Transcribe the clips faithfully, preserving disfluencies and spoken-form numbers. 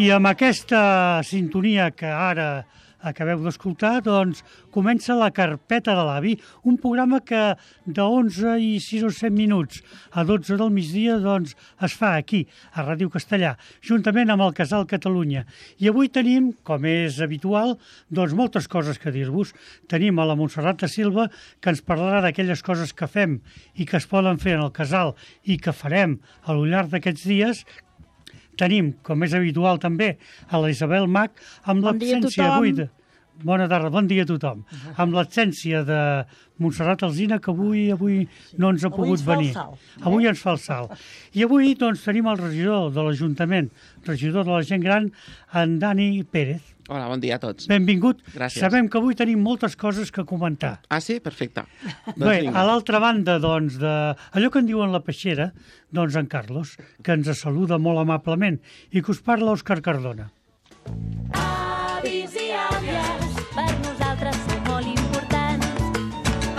I amb aquesta sintonia que ara acabeu d'escoltar, doncs comença la Carpeta de l'Avi, un programa que de onze i sis o set minuts a dotze del migdia doncs, es fa aquí, a Ràdio Castellà, juntament amb el Casal Catalunya. I avui tenim, com és habitual, doncs moltes coses que dir-vos. Tenim a la Montserrat da Silva, que ens parlarà d'aquelles coses que fem i que es poden fer en el Casal i que farem a lo llarg d'aquests dies. Tenim, com és habitual també, a la Isabel Mach, amb bon l'absència avui de... Bona tarda, bon dia a tothom. Uh-huh. Amb l'absència de Montserrat Alsina, que avui avui no ens ha avui pogut ens venir. Salt, eh? Avui ens fa el salt. I avui doncs, tenim el regidor de l'Ajuntament, regidor de la gent gran, en Dani Pérez. Hola, bon dia a tots. Benvingut. Gràcies. Sabem que avui tenim moltes coses que comentar. Ah, sí? Perfecte. Bé, a l'altra banda, doncs, de allò que en diuen la peixera, doncs en Carlos, que ens saluda molt amablement i que us parla Òscar Cardona. Avis i àvies, per nosaltres són molt importants.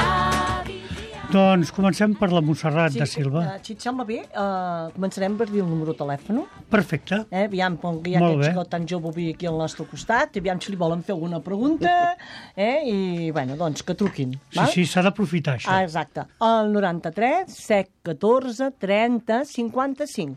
Avis i àvies. Doncs comencem per la Montserrat Sí, da Silva. eh, si et sembla bé, eh, començarem per dir el número de telèfon. Perfecte. Eh? Aviam, com que hi ha Molt aquest bé. xicot tan jove avui aquí al nostre costat, aviam si li volen fer alguna pregunta, eh? I, bueno, doncs, que truquin. Sí, val? sí, s'ha d'aprofitar, això. Ah, exacte. El noranta-tres, set, catorze, trenta, cinquanta-cinc.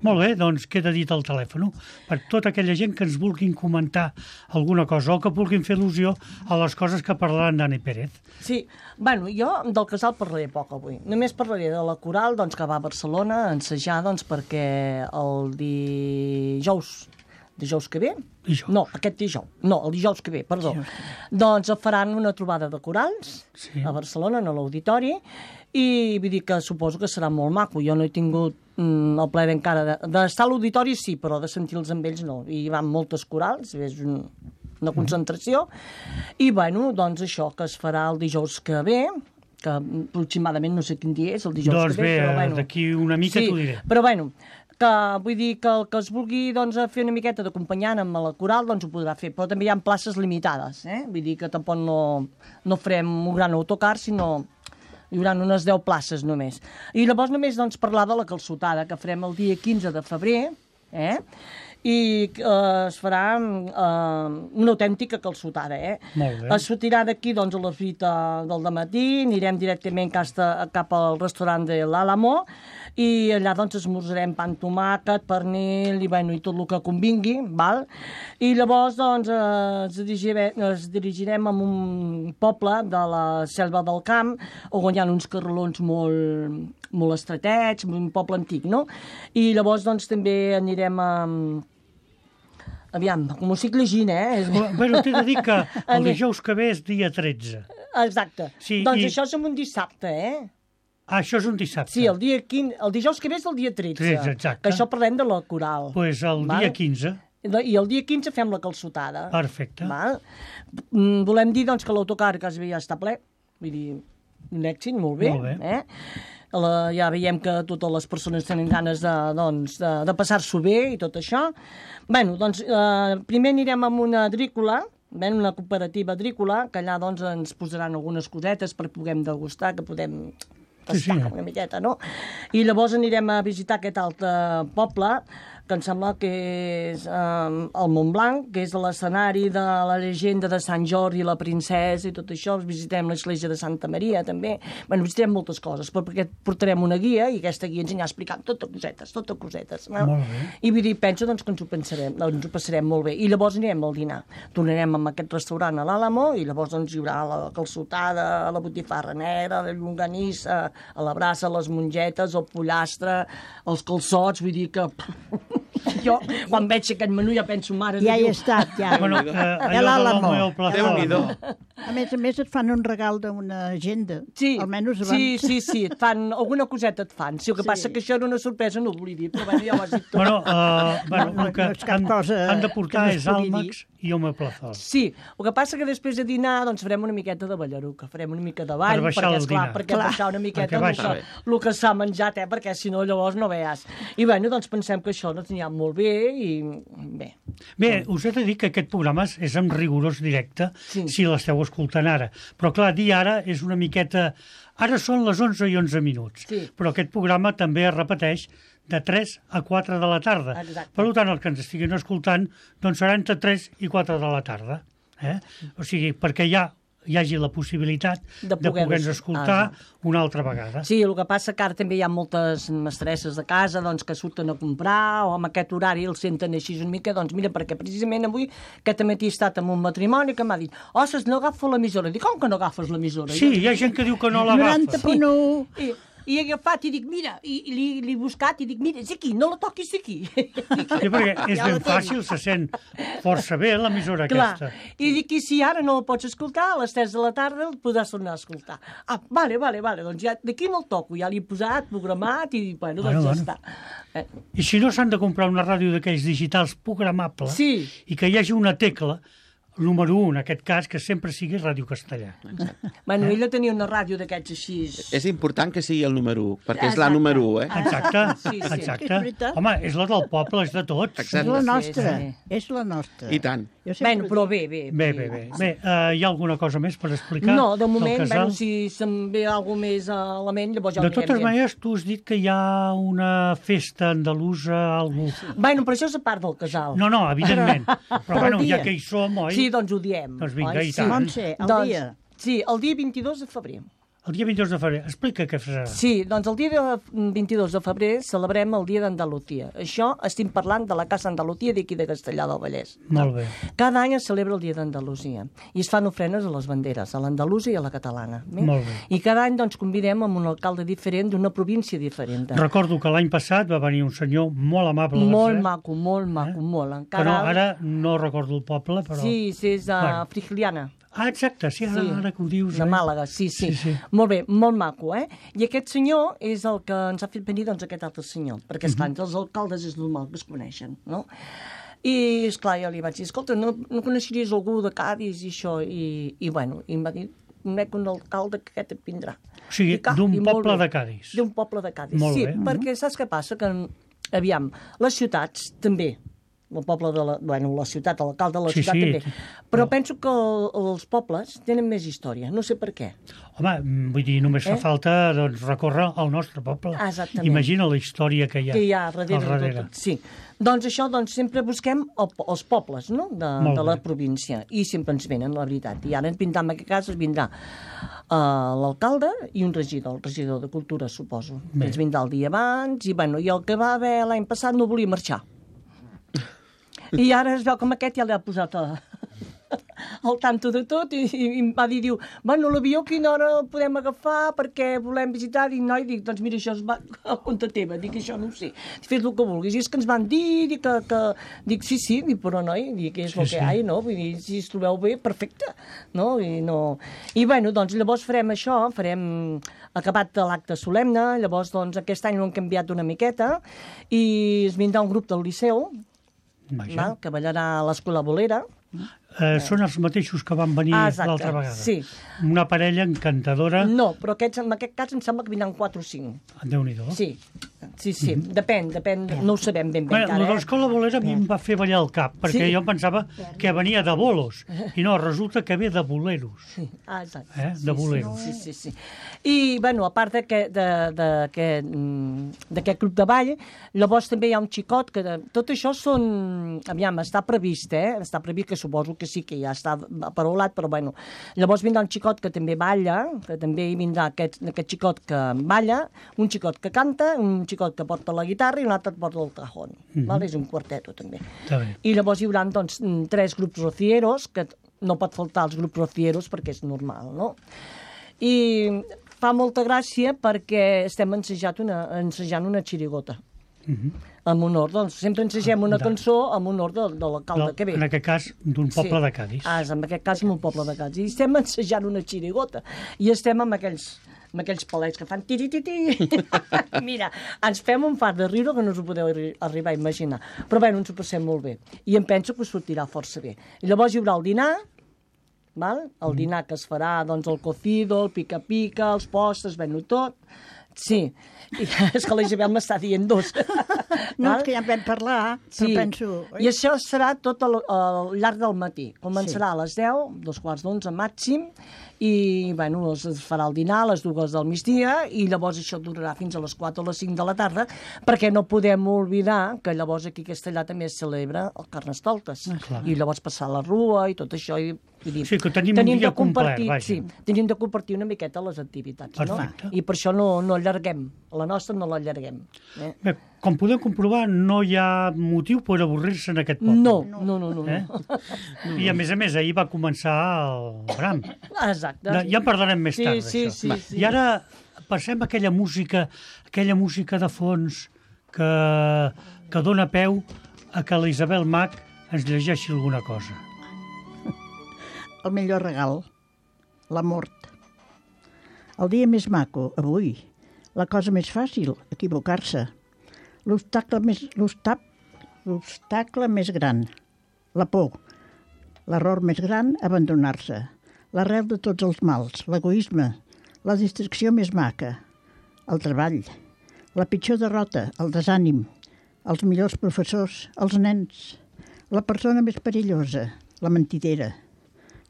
Molt bé, doncs queda dit el telèfon per tota aquella gent que ens vulguin comentar alguna cosa o que vulguin fer il·lusió a les coses que parlarà en Dani Pérez. Sí, bueno, jo del casal parlaré poc avui. Només parlaré de la coral doncs, que va a Barcelona a ensejar doncs, perquè el dijous, dijous que ve, Dijous. no, aquest dijous, no, el dijous que ve, perdó, Dijous doncs faran una trobada de corals Sí. a Barcelona, a l'auditori, i vull dir que suposo que serà molt maco. Jo no he tingut mm, el plaer encara de- d'estar a l'auditori, sí, però de sentir-los amb ells no. I hi van moltes corals, és un, una concentració, i bueno, doncs això, que es farà el dijous que ve, que aproximadament no sé quin dia és, el dijous Doncs que ve, bé, però bueno. d'aquí una mica Sí, t'ho diré. però bueno, que vull dir que el que es vulgui doncs, fer una miqueta d'acompanyant amb la coral doncs ho podrà fer, però també hi ha places limitades, eh? Vull dir que tampoc no, no farem un gran autocar, sinó hi haurà unes deu places només. I llavors només doncs, parlar de la calçotada, que farem el dia quinze de febrer, eh? i eh, es farà eh, una autèntica calçotada. Eh? Molt bé. Es sortirà d'aquí doncs, a les vuit del dematí, anirem directament cap al restaurant de l'Àlamo, i allà doncs esmorzarem pa amb tomàquet, pernil i, bueno, i tot el que convingui, val? I llavors doncs eh, ens, dirigirem, ens dirigirem a un poble de la Selva del Camp on hi ha uns carrerons molt, molt estretets, un poble antic, no? I llavors doncs també anirem a... Aviam, com ho estic llegint, eh? Bueno, t'he de dir que el dijous que ve és dia tretze. Exacte. Sí, doncs i- això és en un dissabte, eh? Ah, això és un dissabte. Sí, el dia quinze, el dijous que ve és el dia tretze. tretze, exacte. Que això parlem de la coral. Doncs pues el Val? dia quinze. I el dia quinze fem la calçotada. Perfecte. Val? Mm, Volem dir doncs, que l'autocar quasi bé ja està ple. Vull dir, un èxit, molt bé. Molt bé. Eh? La, ja veiem que totes les persones tenen ganes de, doncs, de, de passar-s'ho bé i tot això. Bueno, doncs, eh, primer anirem amb una agrícola, ven una cooperativa agrícola, que allà doncs, ens posaran algunes cosetes per puguem degustar, que podem Sí, sí. tastar una miqueta, no? I llavors anirem a visitar aquest altre poble, que em sembla que és eh, el Montblanc, que és l'escenari de la llegenda de Sant Jordi i la princesa i tot això. Visitem l'església de Santa Maria, també. Bueno, visitem moltes coses, però perquè portarem una guia i aquesta guia ens anirà explicant totes cosetes, totes cosetes. No? Molt bé. I vull dir, penso doncs, que ens ho, pensarem, ens ho passarem molt bé. I llavors anirem al dinar. Tornarem amb aquest restaurant a l'Àlamo i llavors doncs, hi haurà la calçotada, la botifarra negra, la llonganissa, a la brasa, les mongetes, el pollastre, els calçots, vull dir que... Jo, quan veig aquest menú, ja penso, mare de Ja hi Déu. he estat, ja. Bueno, eh, Ja allò de l'Àlamo. l'Àlamo i el Plaza Déu-n'hi-do. Àlamo. A més a més et fan un regal d'una agenda. Sí, Almenys abans. sí, sí, sí, et fan, alguna coseta et fan. Sí, el que Sí. passa que això era una sorpresa, no ho volia dir, però bueno, ja ho has dit tot. Bueno, uh, bueno, No, no, el que no és cap han, cosa han de que portar no es és pugui àlmacs i home plazol. Sí, el que passa que després de dinar doncs farem una miqueta de ballaruca, farem una mica de ball, Per baixar perquè, el esclar, dinar. perquè Clar. baixar una miqueta Perquè el baixa. que, el que s'ha menjat, eh, perquè si no llavors no veus. I bueno, doncs pensem que això ens anirà molt bé i bé, Bé, us he de dir que aquest programa és- és en rigorós directe, Sí. si l'esteu escoltant ara. Però, clar, dir ara és una miqueta... Ara són les onze i onze minuts, Sí. però aquest programa també es repeteix de tres a quatre de la tarda. Exacte. Per tant, els que ens estiguin escoltant doncs serà entre tres i quatre de la tarda. Eh? O sigui, perquè hi, ha, hi hagi la possibilitat De de poder-los- poder-nos escoltar Exacte. una altra vegada. Sí, el que passa que ara també hi ha moltes mestresses de casa doncs, que surten a comprar o amb aquest horari els senten així una mica, doncs mira, perquè precisament avui aquest matí he estat en un matrimoni que m'ha dit ostres, no agafo l'emissora. Dic, com que no agafes l'emissora? Sí, hi ha gent que diu que no l'agafa. noranta punt u. I, i he agafat i dic, mira, i, i li, li he buscat i dic, mira, és aquí, no la toquis aquí. Sí, perquè és Ja la ben fàcil, se sent força bé l'emissora Clar, aquesta. i dic, i si ara no el pots escoltar, a les tres de la tarda el podràs tornar a escoltar. Ah, vale, vale, vale, doncs ja d'aquí no el toco, ja l'he posat, programat i, bueno, doncs Bueno, ja bueno. està. Eh, I si no s'han de comprar una ràdio d'aquells digitals programables Sí. i que hi hagi una tecla, número un, en aquest cas, que sempre sigui Ràdio Castellà. Bueno, ella tenia una ràdio d'aquests així... És important que sigui el número u, perquè és la Exacte. número u, eh? Exacte, Sí, sí. exacte. És veritat. Home, és la del poble, és de tots. És Exacte. la Sí, nostra, sí. és la nostra. I tant. Jo sempre Bueno, però bé, bé. Bé, bé, bé. Bé, uh, hi ha alguna cosa més per explicar? No, de del moment, casal? bueno, si se'm ve alguna més a la ment, llavors ja ho De anirem totes dient. maneres, tu has dit que hi ha una festa andalusa, algú... Bueno, però això és a part del casal. No, no, evidentment. Però, Però bueno, el dia. ja que hi som, oi? Sí, doncs ho diem. Doncs vinga, oi? i Sí. tant. Montse, el Doncs, dia. Sí, el dia vint-i-dos de febrer. El dia vint-i-dos de febrer. Explica què farà. Sí, doncs el dia de vint-i-dos de febrer celebrem el dia d'Andalusia. Això estem parlant de la Casa Andalusia d'aquí de Castellà del Vallès. Molt bé. Cada any es celebra el dia d'Andalusia i es fan ofrenes a les banderes, a l'andalusa i a la catalana. Bé? Molt bé. I cada any doncs, convidem amb un alcalde diferent d'una província diferent. Recordo que l'any passat va venir un senyor molt amable. de Molt Verset, maco, molt maco, molt. Que Encara... no, ara no recordo el poble, però... Sí, sí, és a Bueno. Frigiliana. Ah, exacte, sí, ara, Sí, ara que ho dius. de eh? Màlaga, sí, sí, Sí, sí. Molt bé, molt maco, eh? I aquest senyor és el que ens ha fet venir, doncs, aquest altre senyor, perquè, esclar, Mhm. els alcaldes és normal que es coneixen, no? I, esclar, jo li vaig dir, escolta, no, no coneixeries algú de Cádiz i això? I, i bueno, i em va dir, conec un alcalde que aquest et vindrà. O sigui, Dic, ah, d'un i molt poble bé. de Cádiz. D'un poble de Cádiz, Molt sí, bé. perquè saps què passa? Que, aviam, les ciutats també, el poble de la... Bueno, la ciutat, l'alcalde de la Sí, ciutat sí. també. Però penso que el, els pobles tenen més història, no sé per què. Home, mm, vull dir, només fa Eh? falta doncs, recórrer al nostre poble. Exactament. Imagina la història que hi ha, Que hi ha darrere, al darrere. de tot. Sí. Doncs això, doncs, sempre busquem el, els pobles, no?, de, Molt de la bé. província. I sempre ens venen, la veritat. I ara ens vindrà, en aquest cas, es vindrà uh, l'alcalde i un regidor, el regidor de Cultura, suposo. Bé. Ens vindrà el dia abans, i, bueno, i el que va haver l'any passat no volia marxar. I ara es veu com aquest ja l'ha posat a... al tanto de tot i, i, i em va dir, diu, bueno, l'avió a quina hora el podem agafar perquè volem visitar? Dic, no, i dic, doncs mira, això es va a compte teva, dic, això no ho sé, fes el que vulguis. I és que ens van dir, dic, que, que... dic, sí, sí, dic, però noi, dic, és el Sí, que sí. hi ha, no? Vull dir, si es trobeu bé, perfecte, no? I, no... I bueno, doncs llavors farem això, farem acabat l'acte solemne, llavors doncs aquest any ho hem canviat una miqueta i es vindrà un grup del Liceu, Vaja. val, que ballarà a l'Escola Bolera. Eh, són els mateixos que van venir Ah, exacte, l'altra vegada. sí. Una parella encantadora. No, però aquests, en aquest cas em sembla que vindran quatre o cinc. Déu-n'hi-do. Sí, sí, sí, depèn, depèn, no ho sabem ben bé Bueno, encara, lo de eh? l'escola bolera a mi em va fer ballar el cap, perquè Sí. jo em pensava que venia de bolos, i no, resulta que ve de boleros. Sí. Ah, exacte. Eh, de boleros. Sí, sí, sí. I, bueno, a part d'aquest de, de, d'aquest, mm, d'aquest club de ball, llavors també hi ha un xicot que... de- Tot això són... Aviam, està previst, eh? Està previst, que suposo que sí, que ja està aparolat, però bueno. Llavors vindrà un xicot que també balla, que també hi vindrà aquest, aquest xicot que balla, un xicot que canta, un xicot que porta la guitarra i un altre que porta el cajón. Mhm. Val? És un quarteto, també. Està bé. I llavors hi haurà, doncs, mm, tres grups rocieros, que no pot faltar els grups rocieros perquè és normal, no? I fa molta gràcia perquè estem ensejant una, ensejant una xirigota. En honor, doncs, sempre ensegem una De- cançó en honor de, de l'alcalde No, que ve. en aquest cas, d'un poble Sí. de Cádiz. Ah, és en aquest cas, un poble de Cádiz. I estem ensejant una xirigota. I estem amb aquells, amb aquells palets que fan tiri-tiri. Mira, ens fem un fart de riure que no us ho podeu arri- arribar a imaginar. Però bé, ens ho passem molt bé. I em penso que us sortirà força bé. I llavors hi haurà el dinar, val? El dinar que es farà, doncs, el cocido, el pica-pica, els postres, bueno, tot. Sí, I és que la Isabel m'està dient dos. No, és que ja en vam parlar, però Sí, penso... i això serà tot al, al llarg del matí. Començarà sí. a les deu, dos quarts d'onze màxim, i bueno, es farà el dinar a les dues del migdia i llavors això durarà fins a les quatre o les cinc de la tarda, perquè no podem oblidar que llavors aquí a Castellà també es celebra el Carnestoltes. Ah, I llavors passar la rua i tot això. I, vull dir, Sí, que tenim un dia de compartir, complet, vaja. sí, tenim de compartir una miqueta les activitats. Perfecte. No? I per això no, no allarguem. La nostra no l'allarguem. Eh? Bé, com podeu comprovar, no hi ha motiu per avorrir-se en aquest poble. No, no, no, no. Eh? no. I a més a més, ahir va començar el Bram. Exacte. Ja en parlarem més Sí, tard, sí, d'això. sí, sí. I ara passem a aquella música, aquella música de fons que, que dona peu a que la Isabel Mach ens llegeixi alguna cosa. El millor regal, la mort. El dia més maco, avui. La cosa més fàcil, equivocar-se. L'obstacle més, l'obstap, l'obstacle més gran, la por. L'error més gran, abandonar-se. L'arrel de tots els mals, l'egoisme. La distracció més maca, el treball. La pitjor derrota, el desànim. Els millors professors, els nens. La persona més perillosa, la mentidera.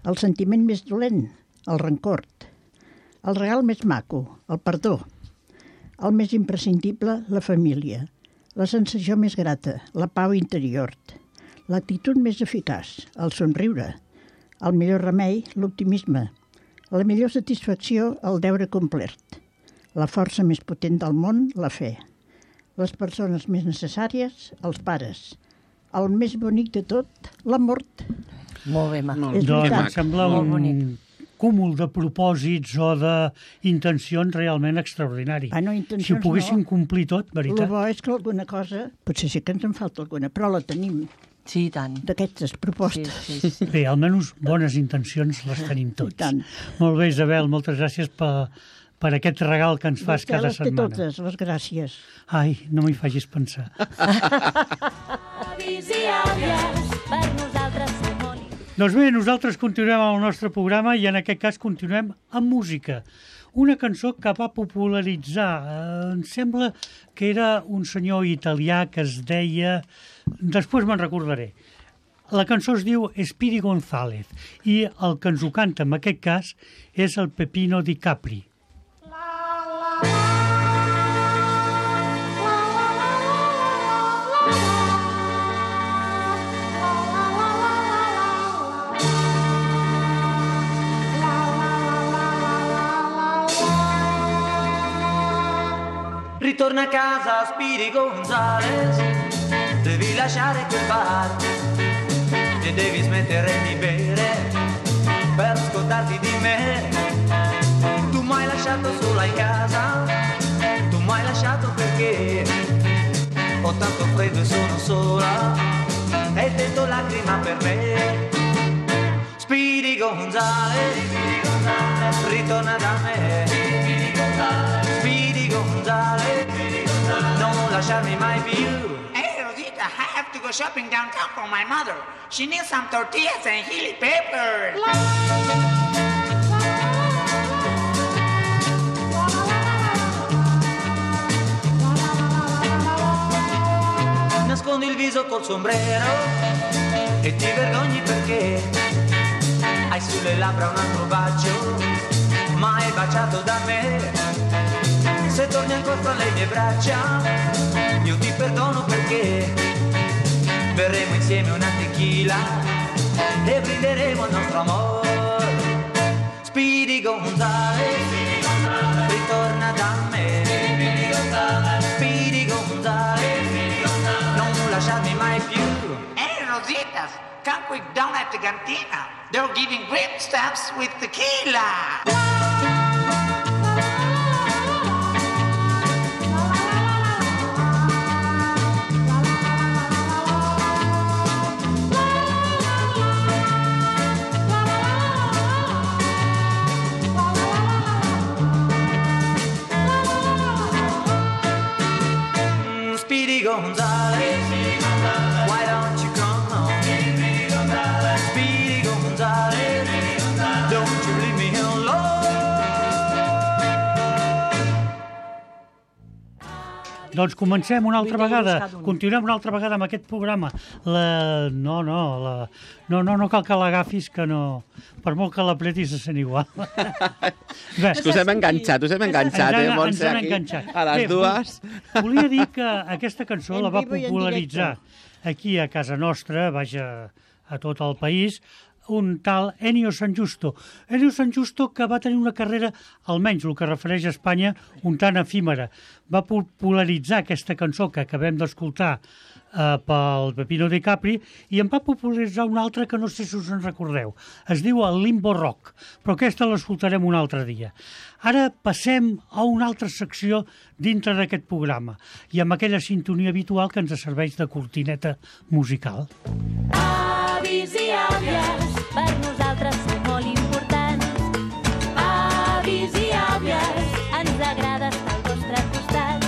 El sentiment més dolent, el rancor. El regal més maco, el perdó. El més imprescindible, la família. La sensació més grata, la pau interior. L'actitud més eficaç, el somriure. El millor remei, l'optimisme. La millor satisfacció, el deure complert. La força més potent del món, la fe. Les persones més necessàries, els pares. El més bonic de tot, la mort. Molt bé, ma. Molt, És Doncs veritat. em sembla Molt un bonic. cúmul de propòsits o d'intencions realment extraordinari. Ah, no, intencions si ho poguéssim no. complir tot, El veritat. bo és que alguna cosa, potser sí que ens en falta alguna, però la tenim Sí, i tant. d'aquestes Sí, propostes. sí, sí. Bé, almenys bones intencions les tenim tots. I tant. Molt bé, Isabel, moltes gràcies per, per aquest regal que ens fas Vostè cada les té setmana. totes, les gràcies. Ai, no m'hi facis pensar. Avis i àvies, per nosaltres som molt importants. Doncs bé, nosaltres continuem amb el nostre programa i en aquest cas continuem amb música. Una cançó que va popularitzar, eh, em sembla que era un senyor italià que es deia... Després me'n recordaré. La cançó es diu Speedy González i el que ens ho canta en aquest cas és el Pepino Di Capri. Ritorna a casa, Speedy Gonzales, devi lasciare quel bar e devi smettere di bere per scordarti di me. Tu m'hai lasciato sola in casa, tu m'hai lasciato perché ho tanto freddo e sono sola e il vento lacrima per me. Speedy Gonzales, ritorna da me. Speedy Gonzales, non lasciarmi mai più. Hey, Rosita, I have to go shopping downtown for my mother. She needs some tortillas and chili peppers. Nascondi il viso col sombrero e ti vergogni perché hai sulle labbra un altro bacio, mai baciato da me. Se torni ancora fra le mie braccia, io ti perdono perché berremo insieme una tequila e brinderemo il nostro amore. Speedy Gonzales, ritorna da me. Speedy Gonzales, non lasciarmi mai più. Hey, Rositas, come quick down at the cantina. They're giving grape stamps with tequila. Speedy Gonzales, why don't you come home? Speedy Gonzales, don't you leave me alone. Doncs comencem una altra Vull vegada, buscar d'un. continuem una altra vegada amb aquest programa. La... No, no, la... no, no, no cal que l'agafis, que no... Per molt que l'apretis se sent igual. Bé, És que us hem enganxat, us hem enganxat, ens eh, han, Montse, ens han aquí, enganxat. a les Bé, dues. vol- Volia dir que aquesta cançó En la va vivo i en popularitzar aquí a casa nostra, vaja, a tot el país, un tal Ennio San Giusto. Ennio San Giusto, que va tenir una carrera, almenys el que refereix a Espanya, un tant efímera. Va popularitzar aquesta cançó que acabem d'escoltar eh, pel Pepino de Capri i en va popularitzar una altra que no sé si us en recordeu. Es diu el Limbo Rock, però aquesta l'escoltarem un altre dia. Ara passem a una altra secció dintre d'aquest programa i amb aquella sintonia habitual que ens serveix de cortineta musical. Avis i àvies, per nosaltres sou molt importants. Avis i àvies, ens agrada estar al vostre costat.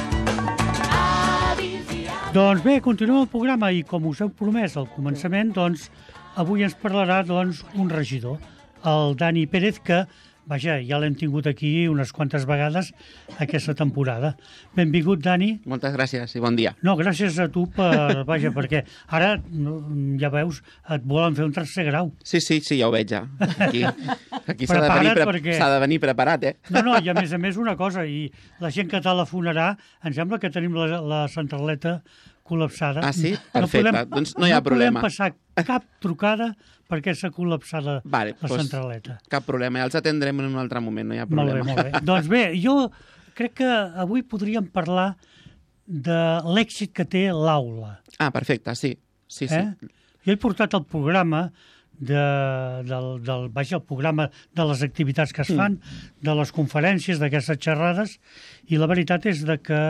Avis i àvies... Doncs bé, continuem el programa i com us heu promès al començament, doncs avui ens parlarà doncs, un regidor, el Dani Pérez, que vaja, ja l'hem tingut aquí unes quantes vegades aquesta temporada. Benvingut, Dani. Moltes gràcies i bon dia. No, gràcies a tu per, vaja, perquè ara, no, ja veus, et volen fer un tercer grau. Sí, sí, sí, ja ho veig, ja. Aquí, aquí s'ha de, Prepara't venir pre perquè- s'ha de venir preparat, eh? No, no, i a més a més una cosa, i la gent que telefonarà, em sembla que tenim la, la centraleta col·lapsada. Ah, sí? Perfecte. Doncs no hi ha problema. No podem passar cap trucada perquè s'ha col·lapsat la, Vale, la doncs, centraleta. Cap problema, ja els atendrem en un altre moment, no hi ha Molt bé, problema. molt bé. Doncs bé, jo crec que avui podríem parlar de l'èxit que té l'aula. Ah, perfecte, sí. Sí, sí. Eh? Jo he portat el programa de, del, del, vaja, el programa de les activitats que es fan, de les conferències, d'aquestes xerrades, i la veritat és de que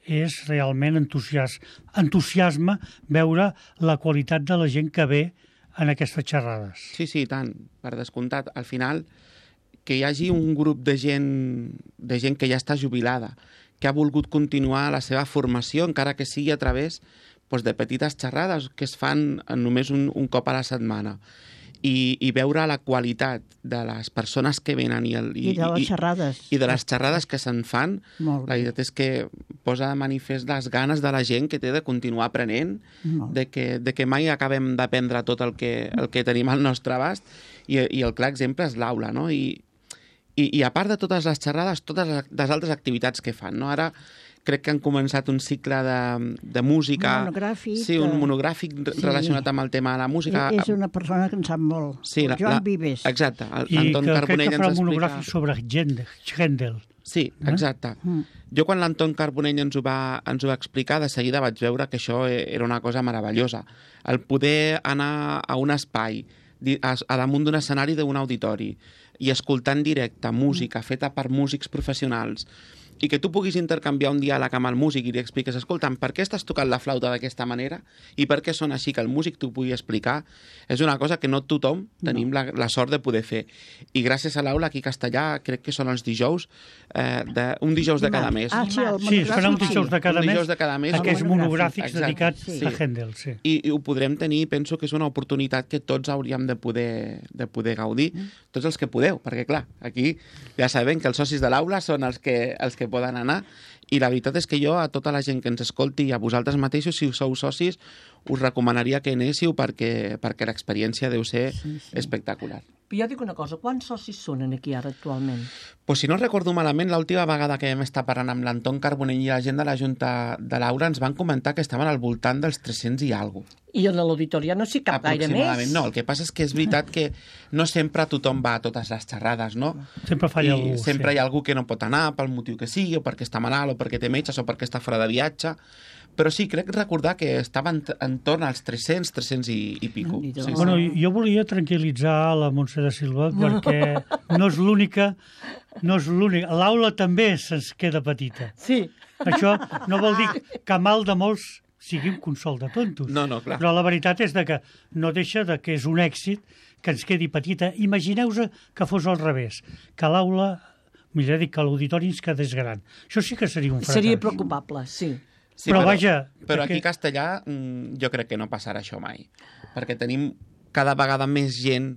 és realment entusias, entusiasme veure la qualitat de la gent que ve en aquestes xerrades. Sí, sí, i tant, per descomptat. Al final, que hi hagi un grup de gent, de gent que ja està jubilada, que ha volgut continuar la seva formació, encara que sigui a través doncs, de petites xerrades que es fan només un, un cop a la setmana. I, i veure la qualitat de les persones que venen i, el, I de les xerrades. i, i de les xerrades que se'n fan, Molt la bé. veritat és que posa de manifest les ganes de la gent que té de continuar aprenent, Molt. de que, de que mai acabem d'aprendre tot el que, el que tenim al nostre abast, i, i el clar exemple és l'aula, no? I, i, I a part de totes les xerrades, totes les altres activitats que fan, no? Ara crec que han començat un cicle de, de música... Monogràfic, Sí, un de- monogràfic Sí. relacionat amb el tema de la música. És una persona que en sap molt. Sí, el la- Joan la- Vives. Exacte, el- I l'Anton que crec Carbonell que ens farà un explica... monogràfic sobre Händel. Händel. Sí, exacte. Mm. Jo quan l'Anton Carbonell ens ho, va, ens ho va explicar, de seguida vaig veure que això era una cosa meravellosa. El poder anar a un espai, di- a, a damunt d'un escenari d'un auditori, i escoltar en directe música feta per músics professionals, i que tu puguis intercanviar un diàleg amb el músic i li expliques, escolta'm, per què estàs tocant la flauta d'aquesta manera i per què sona així, que el músic t'ho pugui explicar, és una cosa que no tothom tenim la, la sort de poder fer. I gràcies a l'aula aquí a Castellà, crec que són els dijous, eh, de, un dijous de cada mes. Ah, sí, el Sí, es farà un monogràfic, dijous de cada Un mes, dijous de cada mes. aquests El monogràfics Exacte, dedicats sí. a Händel. Sí. I, i ho podrem tenir, penso que és una oportunitat que tots hauríem de poder, de poder gaudir, tots els que podeu, perquè clar, aquí ja sabem que els socis de l'aula són els que, els que poden anar, i la veritat és que jo a tota la gent que ens escolti i a vosaltres mateixos, si sou socis, us recomanaria que anéssiu perquè, perquè l'experiència deu ser sí, sí. espectacular. Però jo dic una cosa, quants socis són aquí ara actualment? Pues si no recordo malament, l'última vegada que vam estar parlant amb l'Anton Carbonell i la gent de la Junta de l'Aura ens van comentar que estaven al voltant dels tres-cents i alguna cosa. I en l'auditori no s'hi cap gaire més? Aproximadament, no. El que passa és que és veritat que no sempre tothom va a totes les xerrades, no? Sempre falla I algú. sempre sí. hi ha algú que no pot anar pel motiu que sigui, o perquè està malalt, o perquè té metges, o perquè està fora de viatge. Però sí, crec recordar que estaven entorn als tres-cents, tres-cents i, i pico. Déu-n'hi-do. Sí, sí. Bueno, jo volia tranquil·litzar la Montse de Silva perquè no és l'única, no és l'única. L'aula també se'ns queda petita. Sí. Això no vol dir que mal de molts sigui un consol de tontos. No, no, clar. Però la veritat és de que no deixa de que és un èxit que ens quedi petita. Imagineu-vos que fos al revés, que l'aula, millor dit, que l'auditori ens quedés gran. Això sí que seria un fracàs. Seria preocupable, sí. Sí, però vaja, Però perquè- aquí a Castellà mm, jo crec que no passarà això mai. Perquè tenim cada vegada més gent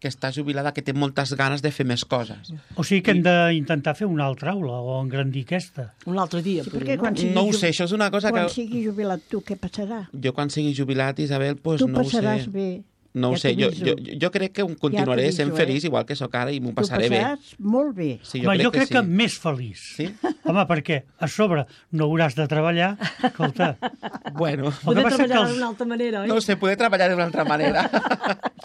que està jubilada, que té moltes ganes de fer més coses. O sigui que hem d'intentar fer una altra aula o engrandir aquesta. Un altre dia. Sí, podria, perquè quan sigui, No ho ju- sé, això és una cosa quan que... sigui jubilat tu, què passarà? Jo quan sigui jubilat, Isabel, doncs Tu no ho sé. passaràs bé. No ho ja sé, jo, t'aviso. jo, jo crec que continuaré t'aviso, sent eh? feliç igual que sóc ara i m'ho Tu passaré bé. passaràs molt bé. Sí, Home, jo crec que, sí. més feliç. Sí? Home, perquè a sobre no hauràs de treballar. Escolta, Bueno, el que Poder passa que treballar els, d'una altra manera, oi? no ho sé, poder treballar d'una altra manera.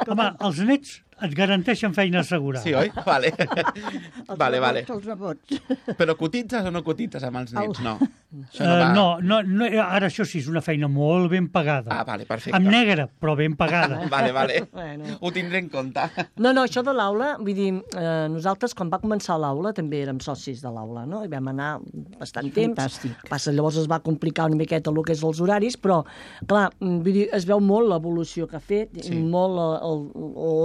home, els nets et garanteixen feina assegurada. Sí, oi? Vale. Els vale, nebots, vale. Els nebots. Però cotitzes o no cotitzes amb els nets? No. Això Uh, va. no, no, no, ara això sí, és una feina molt ben pagada. Ah, vale, perfecte. Amb negre, però ben pagada. Vale, vale. Bueno. Ho tindré en compte. No, no, això de l'aula, vull dir, eh, nosaltres quan va començar l'aula també érem socis de l'aula, no? I vam anar bastant temps. Fantàstic. Passa, llavors es va complicar una miqueta el que és els horaris, però, clar, mm, vull dir, es veu molt l'evolució que ha fet, Sí. sí. molt la, el,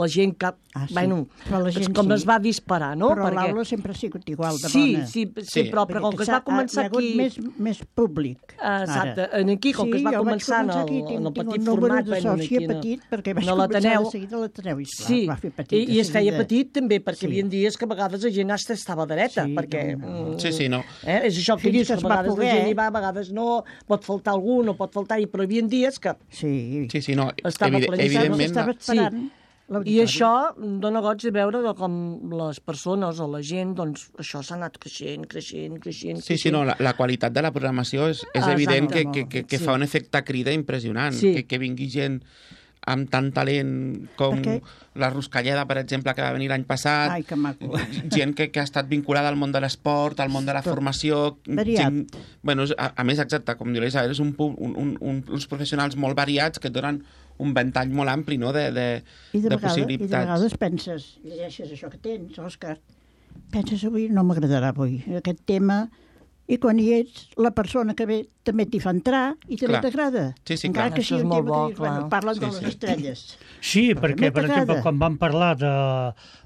la gent que... Ah, sí. Bueno, Però la gent com sí. es va disparar, no? Però l'aula sempre ha sigut igual de sí, bona. sí, sí, Sí. però, però com que es va començar Hi ha hagut aquí... més, més públic. Ah, exacte, ara. en aquí, com que es va jo vaig començar en començar el, aquí, en el tinc- tinc petit un número format, de bueno, sòcia aquí no- petit, perquè vaig no començar l'Ateneu. de seguida a l'Ateneu. i esclar, Sí, va fer petit i, de i es feia seguida. petit també, perquè Sí. hi havia dies que a vegades la gent hasta estava dreta, Sí, perquè... no, no. mm, Sí, sí, no. Eh? És això que Fins dius, que que, es a va vegades poder, la gent eh? hi va, a vegades no, pot faltar algú, no pot faltar, i però hi havia dies que... Sí, Sí, sí, no. Estava Evide planificat, evidentment... estava esperant Sí. l'auditori. I això dona goig de veure de com les persones o la gent, doncs, això s'ha anat creixent, creixent, creixent... Sí, sí, no, la, la qualitat de la programació és, és Ah, evident que, exacte, que, que, que sí. fa un efecte crida impressionant. Sí. Que, que vingui gent amb tant talent com Perquè- la Ruscalleda, per exemple, que va venir l'any passat. Ai, que maco. Gent que, que ha estat vinculada al món de l'esport, al món de la Tot. formació. Variat. Gent, bueno, és- a, a més, exacte, com diu l'Isabel, és un, pu- un, un, un, uns professionals molt variats que et donen un ventall molt ampli, no?, de, de, I de, de vegades, I de possibilitats. vegades penses, llegeixes això que tens, Òscar, penses avui no m'agradarà avui aquest tema, i quan hi ets, la persona que ve també t'hi fa entrar i també Clar. t'agrada. Sí, sí, Encara clar. que Això sigui és un molt tema bo, que dius, bueno, clar. parlen Sí, de les sí. estrelles. Sí, perquè, per t'agrada. exemple, quan vam parlar de,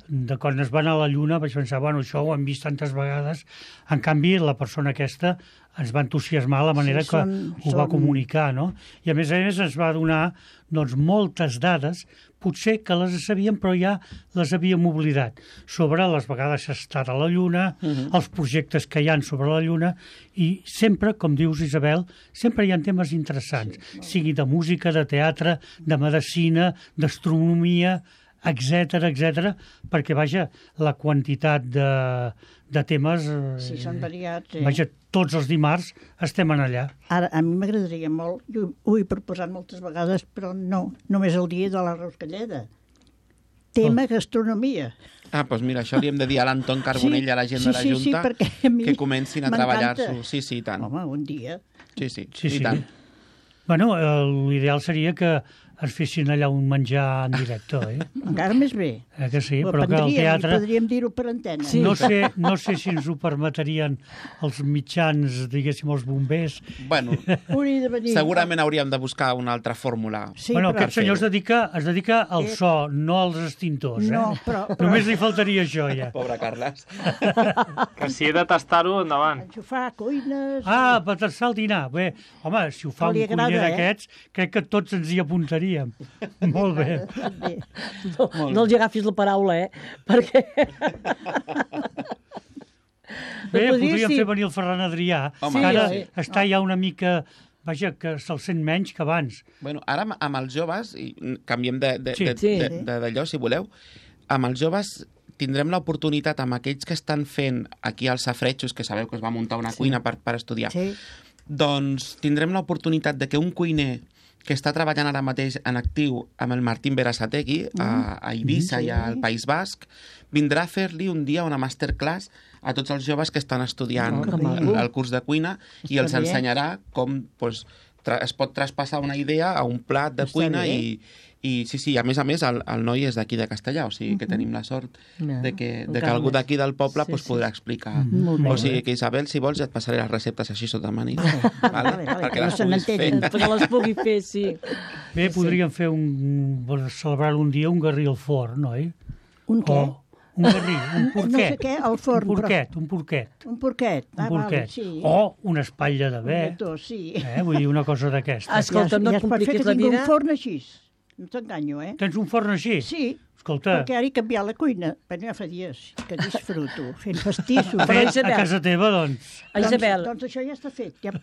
de quan es va anar a la Lluna, vaig pensar, bueno, això ho hem vist tantes vegades. En canvi, la persona aquesta ens va entusiasmar la manera Sí, que són- ho va són- comunicar, no? I a més a més ens va donar doncs, moltes dades, potser que les sabíem però ja les havíem oblidat, sobre les vegades que s'ha estat a la Lluna, uh -huh. els projectes que hi han sobre la Lluna, i sempre, com dius, Isabel, sempre hi ha temes interessants, sí, sigui de música, de teatre, de medicina, d'astronomia, etcètera, etcètera, perquè, vaja, la quantitat de, de temes... eh, Sí, són variats. Eh? Vaja, tots els dimarts estem en allà. Ara, a mi m'agradaria molt, jo ho he proposat moltes vegades, però no, només el dia de la Ruscalleda. Tema Oh. gastronomia. Ah, doncs mira, això li hem de dir a l'Anton Carbonell i a la gent sí, de la sí, sí, Junta perquè a mi que comencin a m'encanta. treballar-s'ho. Sí, sí, i tant. Home, un dia. Sí, sí, Sí, i sí. tant. Bueno, eh, l'ideal seria que es fessin allà un menjar en directe, eh? Encara més bé. eh que sí, Ho però que el aprendríem, teatre... i podríem dir-ho per antena. Sí. No sé, no sé si ens ho permetrien els mitjans, diguéssim, els bombers. Bueno, Hauria de venir. segurament hauríem de buscar una altra fórmula. Sí, bueno, però... aquest senyor es dedica, es dedica al Eh, so, no als extintors, eh? No, però- però- Només li faltaria això, ja. Pobre Carles. Que si he de tastar-ho, endavant. Enxufar cuines... Ah, per tastar el dinar. Bé, home, si ho fa Que li un cuiner agrada, eh? d'aquests, crec que tots ens hi apuntaríem. Molt bé. Bé. No, no els agafis la paraula, eh? Perquè... Bé, Podria podríem ser- fer venir el Ferran Adrià, Home. que ara Sí, oi? està ja una mica... Vaja, que se'l sent menys que abans. Bueno, ara amb, amb els joves, i canviem d'allò, de, Sí. de, Sí. de, de, d'allò, si voleu, amb els joves tindrem l'oportunitat, amb aquells que estan fent aquí als Safretxos, que sabeu que es va muntar una cuina per, per estudiar, Sí. doncs tindrem l'oportunitat de que un cuiner que està treballant ara mateix en actiu amb el Martín Berasategui a, a Eivissa sí. i al País Basc, vindrà a fer-li un dia una masterclass a tots els joves que estan estudiant Oh, que el, maco. el curs de cuina i Està els bé. ensenyarà com pues, tra es pot traspassar una idea a un plat de Està cuina bé. i, i sí, sí, a més a més el, el noi és d'aquí de Castellà, o sigui que tenim la sort Ja, de que, de que encara algú més. d'aquí del poble Sí, pues, sí. podrà explicar. Molt bé. O sigui que, Isabel, si vols, ja et passaré les receptes així sota manit. Vale, vale, Perquè que no les se puguis fer. n'entenen. perquè les pugui fer, sí. Bé, podríem fer un... celebrar un dia un garrí al forn, oi? Un què? O un garrí, un No porquet. sé què, al forn, Un però- porquet, un porquet. Un porquet. Un Ah, val, porquet. sí. O una espatlla de Un bé. lletó, sí. Eh? Vull dir, una cosa d'aquesta. Ah, Escolta, no et ja es pot fer compliquis que la tingui vida. un forn així. no t'enganyo, eh? Tens un forn així? Sí, Escolta, perquè ara he canviat la cuina. Però ja fa dies que disfruto, fent pastissos. Però, fet Isabel- a casa teva, doncs... A Isabel, Doncs, doncs això ja està fet, ja,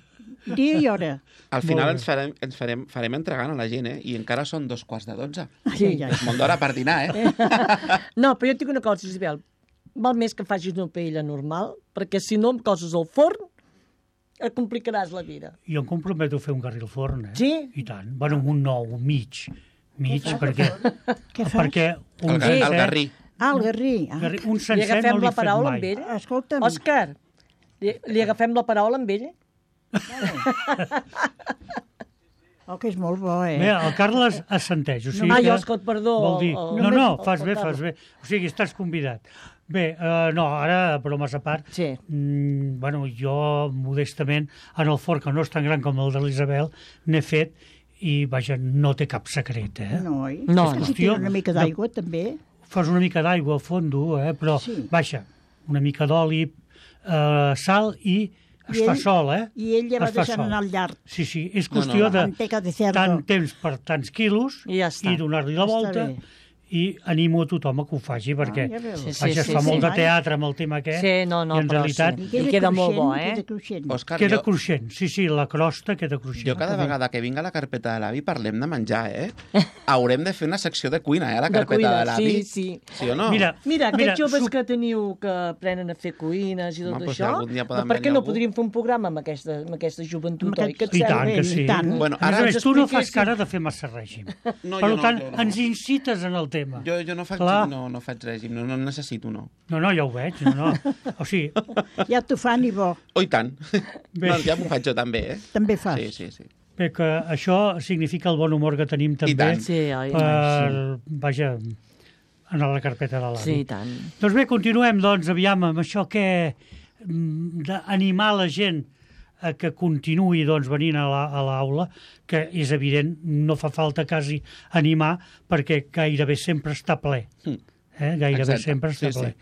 dia i hora. Al Molt final bé. ens farem, ens farem, farem entregant a la gent, eh? I encara són dos quarts de dotze. Sí. Ai, ai, És molt d'hora per dinar, eh? no, però jo et dic una cosa, Isabel. Val més que facis una paella normal, perquè si no em coses al forn, et complicaràs la vida. Jo em comprometo a fer un garri al forn, eh? Sí? I tant. Bueno, un nou, un mig. Mig, perquè... Què fas? Perquè un El, gar- el sencer- garrí. Ah, el garrí. Ah. garrí- Un Li sencer agafem no l'he la fet paraula mai. amb ell? Escolta'm, Òscar, li, li agafem la paraula amb ell? oh, que és molt bo, eh? Bé, el Carles assenteix. O sigui Ai, que Òscar, perdó, Vol dir... el- No, el- no, el- fas bé, el- fas bé. O sigui, estàs convidat. Bé, uh, no, ara, bromes a part, Sí. mm, bueno, jo, modestament, en el forn, que no és tan gran com el de l'Isabel, n'he fet i, vaja, no té cap secret, eh? No, oi? No, És que no. si tira una mica d'aigua, també. Fas una mica d'aigua a fondo, eh? Però, Sí. vaja, una mica d'oli, eh, sal i es I fa ell- sol, eh? I ell ja va Es fa deixant sol. anar al llarg. Sí, sí, és No, no, qüestió no. de Manteca de cerdo. tant temps per tants quilos I ja està. i donar-li la Està volta bé. i animo a tothom a que ho faci, perquè ja veus. Sí, sí, vaja, es sí, fa sí. molt de teatre amb el tema aquest, Sí, no, no, i en però realitat sí. I queda molt bo, eh? Queda cruixent. Òscar, queda jo, cruixent. Sí, sí, la crosta queda cruixent. jo cada vegada que vinga a la carpeta de l'avi parlem de menjar, eh? Haurem de fer una secció de cuina, eh? A la De carpeta cuina, de l'avi. sí, sí. Sí o no? Mira, Mira, aquests Mira, joves su- que teniu que aprenen a fer cuines i tot Home, doncs això, algun dia poden per què venir no algú. podríem fer un programa amb aquesta, amb aquesta joventut, Amb oi? Que et aquests- I sembla? tant que i sí. tant. Bueno, a més ara a més, tu no fas expliquéssim- cara de fer massa règim. No, per jo no, tant, jo no. ens incites en el tema. Jo, jo no faig, Clar. no, no faig règim, no, no necessito, no. No, no, ja ho veig. No, no. O sigui, Ja t'ho fan i bo. Oh, i tant. Bé. No, ja m'ho faig jo també, eh? També fas. Sí, sí, sí. bé, que això significa el bon humor que tenim també tant. Sí, oi? per, vaja, anar a la carpeta de l'avi. Sí, i tant. Doncs bé, continuem, doncs, aviam, amb això que mm, d'animar la gent a que continuï doncs, venint a la- a l'aula, que és evident, no fa falta quasi animar, perquè gairebé sempre està ple. Mm. Eh? Gairebé Exacte. sempre està Sí, ple.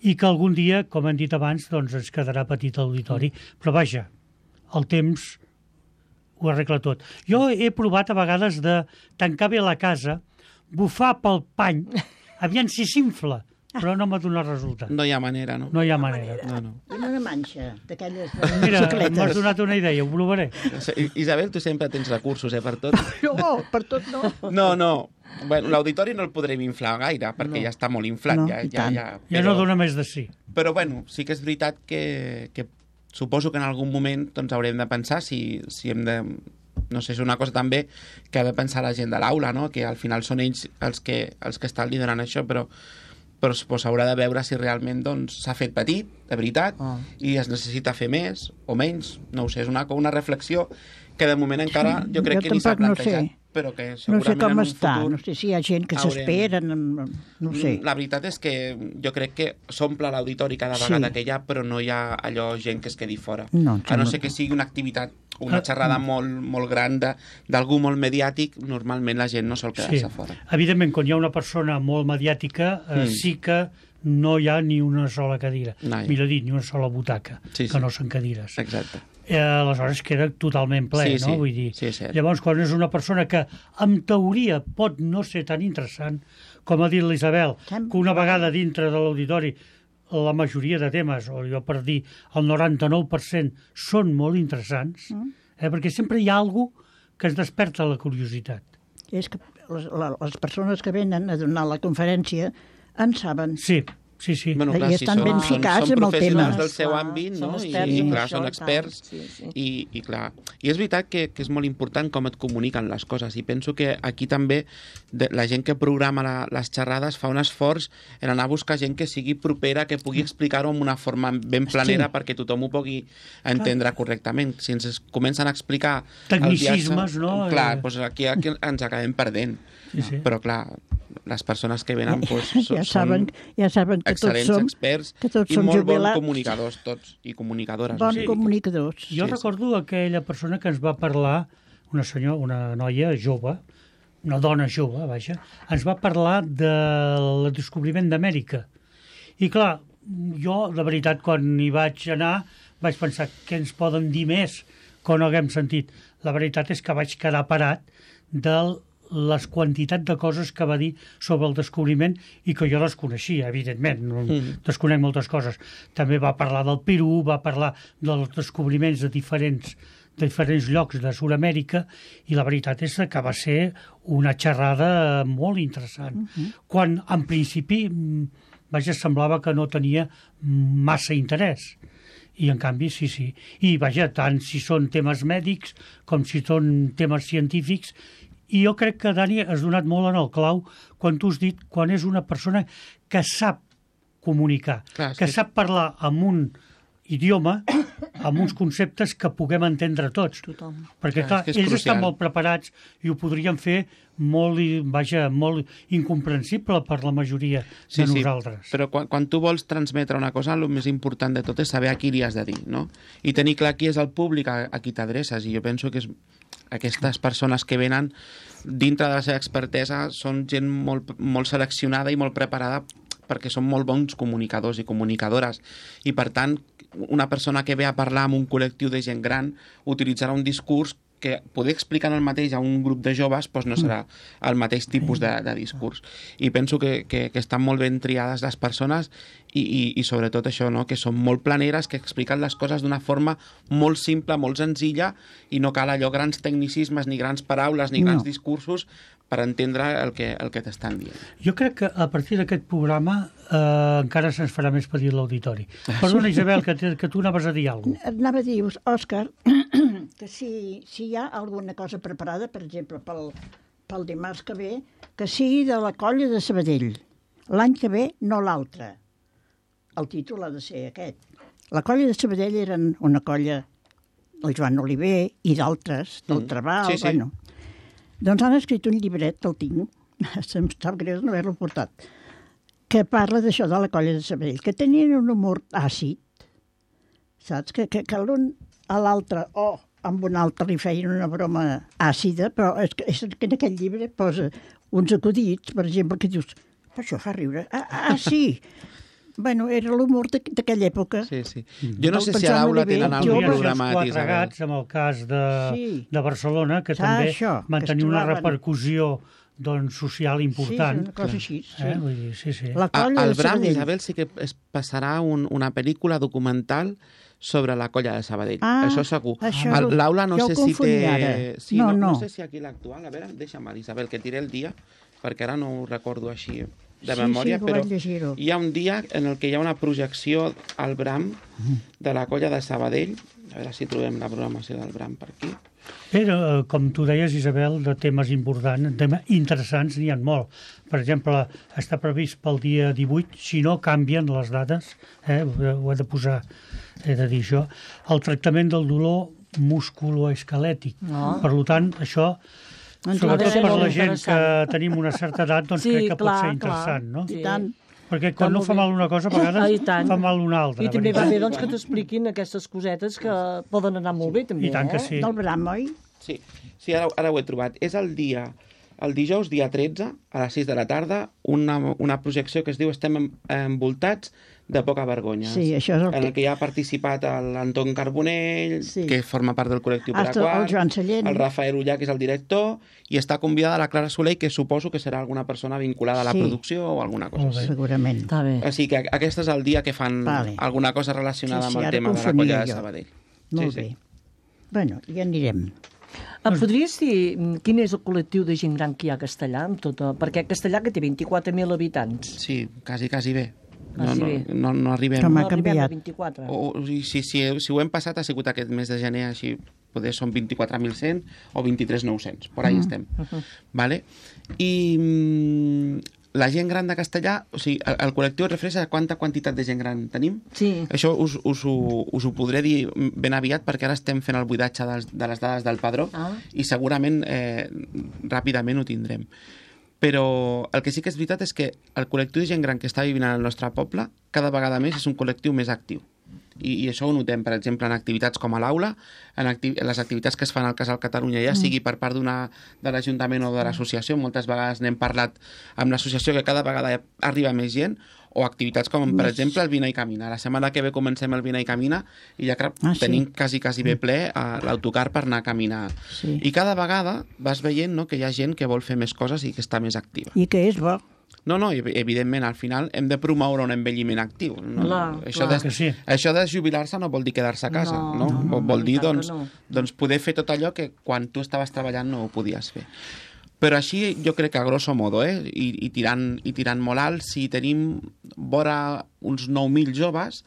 I que algun dia, com hem dit abans, doncs ens quedarà petit l'auditori. Però vaja, el temps ho arregla tot. Jo he provat a vegades de tancar bé la casa, bufar pel pany, aviam si s'infla, però no m'ha donat resultat. No hi ha manera, no? No hi ha manera. No, no. I una manxa d'aquelles de Mira, m'has bicicletes. donat una idea, ho provaré. Isabel, tu sempre tens recursos, eh, per tot. No, per tot no. No, no. Bueno, l'auditori no el podrem inflar gaire, perquè No. ja està molt inflat. No, ja, i ja, tant. ja, Ja no dona més de sí. Però, bueno, sí que és veritat que, que suposo que en algun moment doncs, haurem de pensar si, si hem de... No sé, és una cosa també que ha de pensar la gent de l'aula, no? Que al final són ells els que, els que estan liderant això, però però pues, haurà de veure si realment doncs, s'ha fet petit, de veritat, Ah. i es necessita fer més o menys. No ho sé, és una, una reflexió que de moment encara jo crec Jo que ni s'ha tampoc no plantejat, sé. però que No segurament sé com en un està, futur... no sé si hi ha gent que haurem- s'esperen, no sé. La veritat és que jo crec que s'omple l'auditori cada Sí. vegada que hi ha, però no hi ha allò gent que es quedi fora. No, em a no sembla ser que que- sigui una activitat, una Ah, xerrada molt, molt gran de- d'algú molt mediàtic, normalment la gent no sol quedar-se Sí. fora. Evidentment, quan hi ha una persona molt mediàtica, eh, Mm. sí que no hi ha ni una sola cadira. No hi ha. Millor dit, ni una sola butaca, Sí, que sí. no són cadires. Exacte. Eh, aleshores queda totalment ple, Sí, no? sí. Vull dir, Sí, és cert. llavors, quan és una persona que, en teoria, pot no ser tan interessant, com ha dit l'Isabel, Sem- que una vegada dintre de l'auditori la majoria de temes, o jo per dir el noranta-nou per cent, són molt interessants, Mm. eh, perquè sempre hi ha alguna que es desperta la curiositat. És que les, la, les persones que venen a donar la conferència en saben. Sí, sí, sí. Bueno, I clar, sí, estan són, ben són, ficats són amb el professionals tema. del seu Clar, àmbit, són no? experts I, en clar, això, són i experts. tant. Sí, sí. I, i clar, i és veritat que, que és molt important com et comuniquen les coses, i penso que aquí també de, la gent que programa la, les xerrades fa un esforç en anar a buscar gent que sigui propera, que pugui explicar-ho amb una forma ben planera, Sí. perquè tothom ho pugui entendre correctament. Si ens es comencen a explicar... el Tecnicismes, viatge, no? Clar, Eh. doncs aquí, aquí ens acabem perdent. Sí, sí. Però clar, les persones que venen doncs, Ja són saben, ja saben que tots excel·lents som, experts que tots i som molt bons jubilats. comunicadors tots i comunicadores. bons o sigui. comunicadors. Jo Sí, recordo aquella persona que ens va parlar, una senyora, una noia jove, una dona jove, vaja, ens va parlar del descobriment d'Amèrica. I clar, jo, de veritat, quan hi vaig anar, vaig pensar què ens poden dir més que no haguem sentit. La veritat és que vaig quedar parat de les quantitats de coses que va dir sobre el descobriment i que jo les coneixia, evidentment. No, mm. Desconec moltes coses. També va parlar del Perú, va parlar dels descobriments de diferents, de diferents llocs de Sud-amèrica i la veritat és que va ser una xerrada molt interessant. Mm-hmm. Quan, en principi, vaja, semblava que no tenia massa interès. I, en canvi, sí, sí. I, vaja, tant si són temes mèdics com si són temes científics. I jo crec que, Dani, has donat molt en el clau quan tu has dit, quan és una persona que sap comunicar, Clar, que sí. sap parlar amb un idioma, amb uns conceptes que puguem entendre tots. Tothom. Perquè, clar, ells crucial. Estan molt preparats i ho podrien fer molt, vaja, molt incomprensible per la majoria sí, de nosaltres. Sí, però quan, quan tu vols transmetre una cosa, el més important de tot és saber a qui li has de dir, no? I tenir clar qui és el públic a, a qui t'adreces. I jo penso que és aquestes persones que venen dintre de la seva expertesa són gent molt, molt seleccionada i molt preparada perquè són molt bons comunicadors i comunicadores. I, per tant, una persona que ve a parlar amb un col·lectiu de gent gran utilitzarà un discurs que poder explicar el mateix a un grup de joves doncs no serà el mateix tipus de, de discurs. I penso que, que, que estan molt ben triades les persones i, i, i sobretot això, no? Que són molt planeres, que expliquen les coses d'una forma molt simple, molt senzilla, i no cal allò grans tecnicismes, ni grans paraules, ni grans no. discursos per entendre el que, el que t'estan dient. Jo crec que a partir d'aquest programa eh, encara se'ns farà més petit l'auditori. Perdona, Isabel, que, que tu anaves a dir alguna cosa. Anava a dir, Òscar, que si, si hi ha alguna cosa preparada, per exemple, pel, pel dimarts que ve, que sigui de la colla de Sabadell. L'any que ve, no l'altre. El títol ha de ser aquest. La colla de Sabadell eren una colla, el Joan Oliver i d'altres, del mm. Trabal, sí, sí. bueno... Doncs han escrit un llibret, el tinc, se'm sap greu no haver-lo portat, que parla d'això de la colla de Sabadell, que tenien un humor àcid, saps? Que, que, que l'un a l'altre, o oh, amb un altre li feien una broma àcida, però és que, és que en aquest llibre posa uns acudits, per exemple, que dius, per això fa riure. Ah, ah sí! Bueno, era l'humor d'aquella època. Sí, sí. Jo no sé si a l'aula tenen algun programat, Isabel. Quatre gats, amb el cas de, sí. de Barcelona, que ah, també això, van tenir una repercussió doncs, social important. Sí, una cosa així. Sí. Eh? Vull dir, sí, sí. La colla Al Bram, Isabel, sí que es passarà un, una pel·lícula documental sobre la colla de Sabadell. Ah, això segur. Això l'aula no sé si té... Sí, no, no. no sé si aquí l'actual... A veure, deixa'm, Isabel, que tiré el dia, perquè ara no ho recordo així de memòria, sí, sí, però hi ha un dia en el que hi ha una projecció al Bram de la colla de Sabadell. A veure si trobem la programació del Bram per aquí. Però, com tu deies, Isabel, de temes importants, temes interessants, n'hi ha molt. Per exemple, està previst pel dia divuit, si no canvien les dades, eh, ho he de posar, he de dir això, el tractament del dolor musculoesquelètic. No. Per tant, això... Doncs sobretot per la gent que tenim una certa edat, doncs sí, crec que clar, pot ser interessant, clar. No? I tant. Perquè quan no fa mal una cosa, a vegades fa mal una altra. I també va bé doncs, que t'expliquin aquestes cosetes que poden anar molt bé, també. I tant que sí. Del Bram, oi? Sí, sí ara, ara ho he trobat. És el dia, el dijous, dia tretze, a les sis de la tarda, una, una projecció que es diu Estem envoltats de poca vergonya. Sí, això és el en el que... que hi ha participat l'Anton Carbonell, sí. que forma part del col·lectiu Paraquat, el Joan Sallent, el Rafael Ullà, que és el director, i està convidada la Clara Soler, que suposo que serà alguna persona vinculada a la sí. producció o alguna cosa així. Segurament. Està bé. Així que aquest és el dia que fan vale. alguna cosa relacionada sí, sí, amb el tema de la colla de Sabadell. Molt sí, bé. Sí. Bueno, ja anirem. Em podries dir quin és el col·lectiu de gent gran que hi ha a Castellà? Amb tota... Perquè Castellà que té vint-i-quatre mil habitants. Sí, quasi, quasi bé. No, ah, sí. no, no, no arribem. Com ha no canviat. Arribem a vint-i-quatre. O, o, si, si, si ho hem passat ha sigut aquest mes de gener, així poder són vint-i-quatre mil cent o vint-i-tres mil nou-cents. Per ahí mm. estem. Uh -huh. Vale? I mm, la gent gran de Castellà, o sigui, el, el col·lectiu es refereix a quanta quantitat de gent gran tenim? Sí. Això us, us, ho, us ho podré dir ben aviat perquè ara estem fent el buidatge dels, de les dades del padró ah. i segurament eh, ràpidament ho tindrem. Però el que sí que és veritat és que el col·lectiu de gent gran que està vivint al nostre poble cada vegada més és un col·lectiu més actiu. I, i això ho notem, per exemple, en activitats com a l'aula, en, acti en les activitats que es fan al Casal Catalunya, ja sigui per part d'una de l'Ajuntament o de l'associació, moltes vegades n'hem parlat amb l'associació que cada vegada arriba més gent, o activitats com, per exemple, el Vine i Camina. La setmana que ve comencem el Vine i Camina i ja ah, tenim sí. quasi, quasi bé ple a l'autocar per anar a caminar. Sí. I cada vegada vas veient, no, que hi ha gent que vol fer més coses i que està més activa. I que és bo. No, no, evidentment, al final hem de promoure un envelliment actiu. No? Clar, això, clar. De, sí. això de jubilar-se no vol dir quedar-se a casa, no? no? no vol dir doncs, no. doncs poder fer tot allò que quan tu estaves treballant no ho podies fer. Però així jo crec que a grosso modo, eh, i, i, tirant, i tirant molt alt, si tenim vora uns nou mil joves,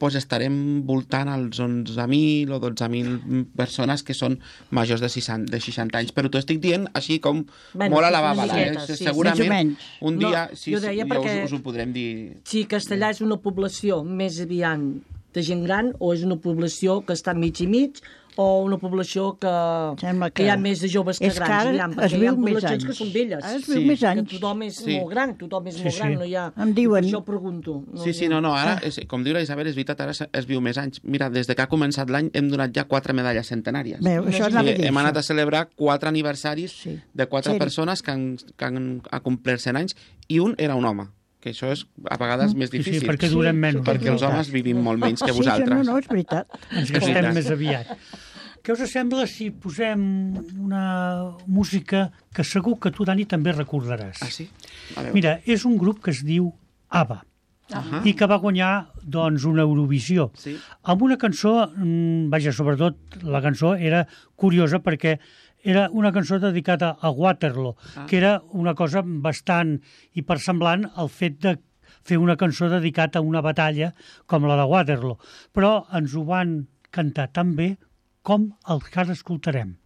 doncs estarem voltant als onze mil o dotze mil persones que són majors de seixanta anys. Però t'ho estic dient així com bueno, molt a la bàbala. Eh? Sí. Segurament un dia no, sí, sí, ja us, us ho podrem dir. Si Castellà és una població més aviat de gent gran o és una població que està mig i mig o una població que, que, que hi ha més de joves que grans. Que aviam, perquè hi ha poblacions que són velles. Es viu sí. més anys. Que tothom és sí. molt gran, tothom és sí, molt gran. Sí. No hi ha... Em diuen... Per això pregunto. No, sí, sí, no, no, ara, és, com diu la Isabel, és veritat, ara es, es viu més anys. Mira, des de que ha començat l'any hem donat ja quatre medalles centenàries. Veu, això sí, sí, hem anat a celebrar quatre aniversaris sí. de quatre sí. persones que han, que han complert cent anys i un era un home. Que això és a vegades més difícil. Sí, sí, perquè durem menys. Perquè els homes vivim molt menys que vosaltres. Sí, no, no, és veritat. Ens gastem més aviat. Què us sembla si posem una música que segur que tu, Dani, també recordaràs? Ah, sí? Mira, és un grup que es diu ABBA uh-huh. i que va guanyar doncs, una Eurovisió. Sí. Amb una cançó, vaja, sobretot la cançó era curiosa perquè era una cançó dedicada a Waterloo, ah. que era una cosa bastant hipersemblant al fet de fer una cançó dedicada a una batalla com la de Waterloo. Però ens ho van cantar tan bé com el que ara escoltarem.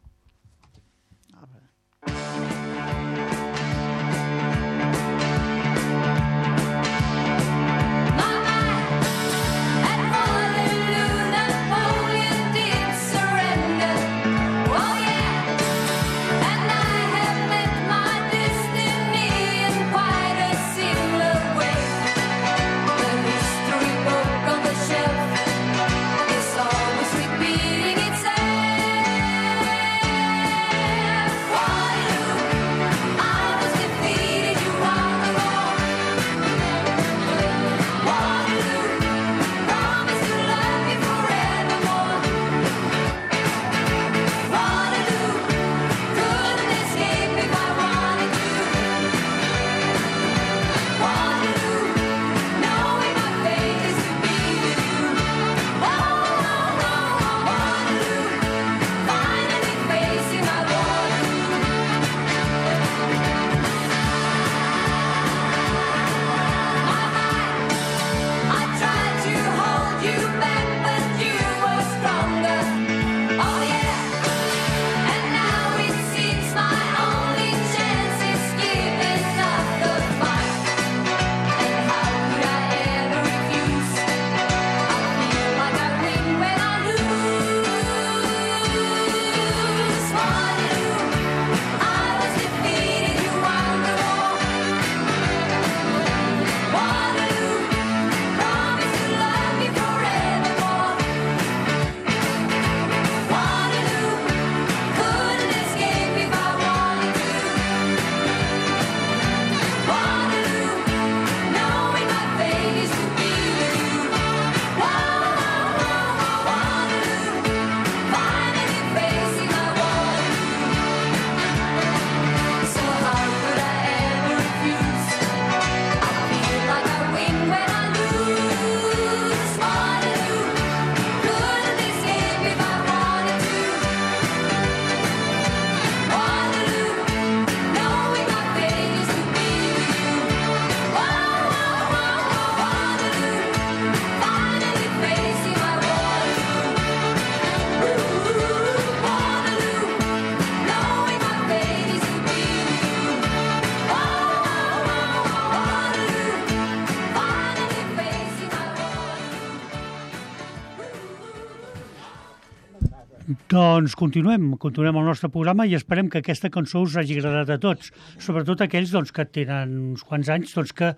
Doncs continuem, continuem el nostre programa i esperem que aquesta cançó us hagi agradat a tots, sobretot aquells doncs, que tenen uns quants anys doncs, que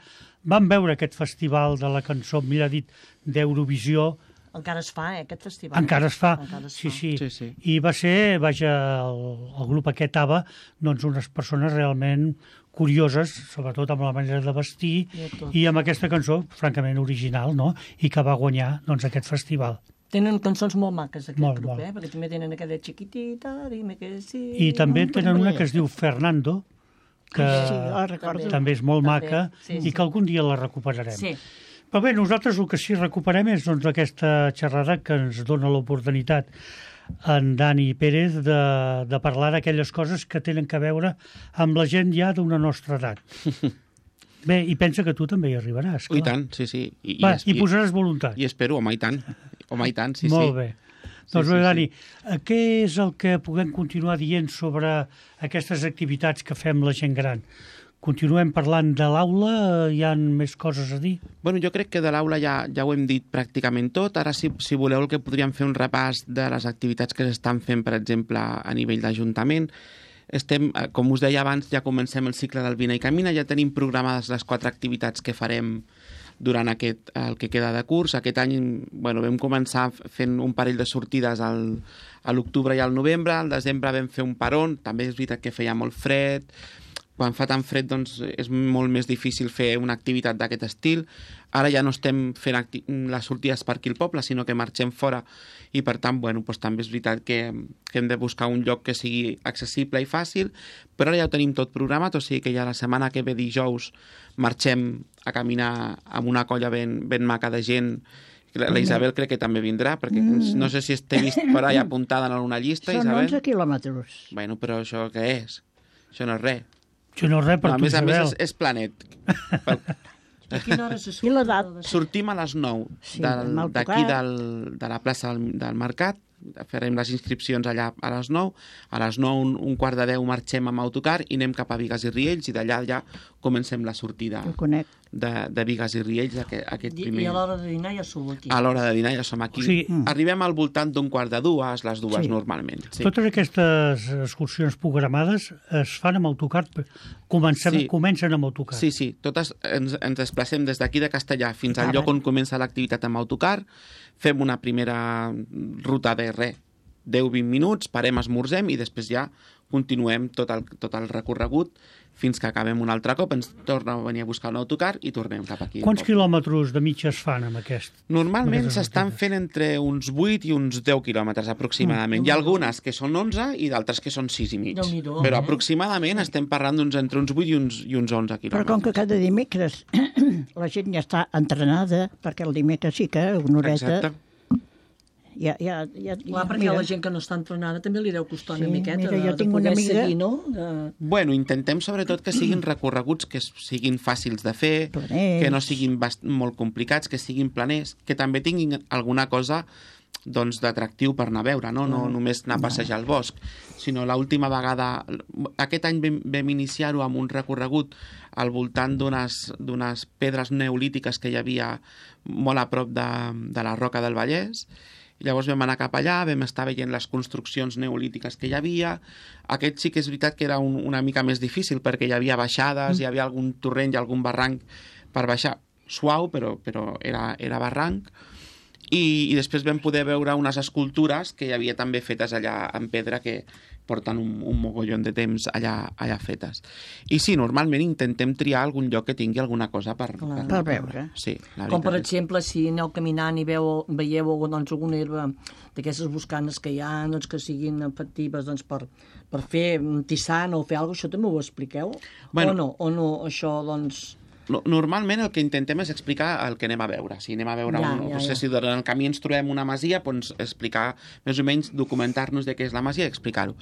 van veure aquest festival de la cançó, millor dit, d'Eurovisió Encara es fa, eh, aquest festival. Encara es fa, Encara es sí, fa. sí, Sí, sí. I va ser, vaja, el, el grup aquest ABBA, doncs unes persones realment curioses, sobretot amb la manera de vestir I tot. i amb aquesta cançó, francament original, no?, i que va guanyar, doncs, aquest festival. Tenen cançons molt maques, aquest Molt, grup, molt. eh? Perquè també tenen aquella chiquitita, dime que sí... I també tenen una que es diu Fernando, que Sí, la recordo. també és molt També, maca sí, i sí. que algun dia la recuperarem. Sí. Però bé, nosaltres el que sí recuperem és doncs, aquesta xerrada que ens dona l'oportunitat en Dani Pérez de, de parlar d'aquelles coses que tenen que veure amb la gent ja d'una nostra edat. Bé, i pensa que tu també hi arribaràs. I clar. tant, sí, sí. I, Va, es- hi posaràs voluntat. I espero, home, i tant. Home, i tant, sí, Molt sí. bé. Sí, Doncs sí, bé, sí. Dani, eh, què és el que puguem continuar dient sobre aquestes activitats que fem la gent gran? Continuem parlant de l'aula? Hi ha més coses a dir? Bueno, jo crec que de l'aula ja, ja ho hem dit pràcticament tot. Ara, si, si voleu, el que podríem fer un repàs de les activitats que s'estan fent, per exemple, a nivell d'Ajuntament. Estem, eh, com us deia abans, ja comencem el cicle del Vine i Camina, ja tenim programades les quatre activitats que farem durant aquest, el que queda de curs. Aquest any bueno, vam començar fent un parell de sortides al, a l'octubre i al novembre, al desembre vam fer un peron, també és veritat que feia molt fred, quan fa tan fred doncs, és molt més difícil fer una activitat d'aquest estil. Ara ja no estem fent acti- les sortides per aquí al poble, sinó que marxem fora i per tant bueno, doncs, també és veritat que, que hem de buscar un lloc que sigui accessible i fàcil, però ara ja ho tenim tot programat, o sigui que ja la setmana que ve dijous marxem a caminar amb una colla ben, ben maca de gent. La la Isabel crec que també vindrà, perquè mm. no sé si t'he vist per allà apuntada en una llista, Són Isabel. onze quilòmetres. Bueno, però això què és? Això no és res. Això no és res per No, a tu, més a més Isabel. és, és planet. Pel- A quina hora se surt? I l'edat? Sortim a les nou Sí, del- amb autocar. d'aquí del, de la plaça del, del Mercat, farem les inscripcions allà a les nou, a les nou, un, un quart de deu marxem amb autocar i anem cap a Bigues i Riells i d'allà ja comencem la sortida El conec. de, de Bigues i Riells, aquest, aquest I, primer... I a l'hora de dinar ja sou aquí. A l'hora de dinar ja som aquí. O sigui, Mm. Arribem al voltant d'un quart de dues, les dues Sí. normalment. Sí. Totes aquestes excursions programades es fan amb autocar. Comencem, Sí. Comencen amb autocar. Sí, sí, totes ens, ens desplacem des d'aquí de Castellà fins al Ah, lloc bé. on comença l'activitat amb autocar, fem una primera ruta de res, deu vint minuts, parem, esmorzem i després ja continuem tot el, tot el recorregut fins que acabem un altre cop, ens torna a venir a buscar un autocar i tornem cap aquí. Quants quilòmetres de mitja es fan amb aquest? Normalment Aquestes s'estan activitats. fent entre uns vuit i uns deu quilòmetres aproximadament. Mm. Hi ha algunes que són onze i d'altres que són sis i mig. Déu-n'hi-do, Però eh? aproximadament estem parlant d'uns entre uns vuit i uns, i uns onze quilòmetres. Però com que cada dimecres la gent ja està entrenada, perquè el dimecres sí que una horeta... Exacte. Ja, ja, ja, Clar, perquè mira, a la gent que no està entrenada també li deu costar Sí, una miqueta mira, de, jo de tinc poder una amiga- seguir, no? De... Bueno, intentem sobretot que siguin recorreguts que s- siguin fàcils de fer, Planers. que no siguin bast molt complicats, que siguin planers, que també tinguin alguna cosa doncs d'atractiu per anar a veure, no? No només anar a passejar al bosc, sinó l'última vegada... Aquest any vam, vam iniciar-ho amb un recorregut al voltant d'unes d'unes pedres neolítiques que hi havia molt a prop de, de la Roca del Vallès. I llavors vam anar cap allà, vam estar veient les construccions neolítiques que hi havia. Aquest sí que és veritat que era un, una mica més difícil perquè hi havia baixades, mm. hi havia algun torrent i algun barranc per baixar. Suau, però, però era, era barranc. I, I després vam poder veure unes escultures que hi havia també fetes allà en pedra que porten un, un mogollon de temps allà, allà fetes. I sí, normalment intentem triar algun lloc que tingui alguna cosa per, Clar. Per veure. Sí, la Com, per veritat és- exemple, si aneu caminant i veu, veieu doncs, alguna herba d'aquestes buscanes que hi ha, doncs, que siguin efectives doncs, per, per fer un tissant o fer alguna cosa, això també ho expliqueu? Bueno. O no? O no, això, doncs... No- Normalment el que intentem és explicar el que anem a veure. Si anem a veure, Ja, un, ja, no sé ja. si durant el camí ens trobem una masia, doncs explicar, més o menys, documentar-nos de què és la masia i explicar-ho.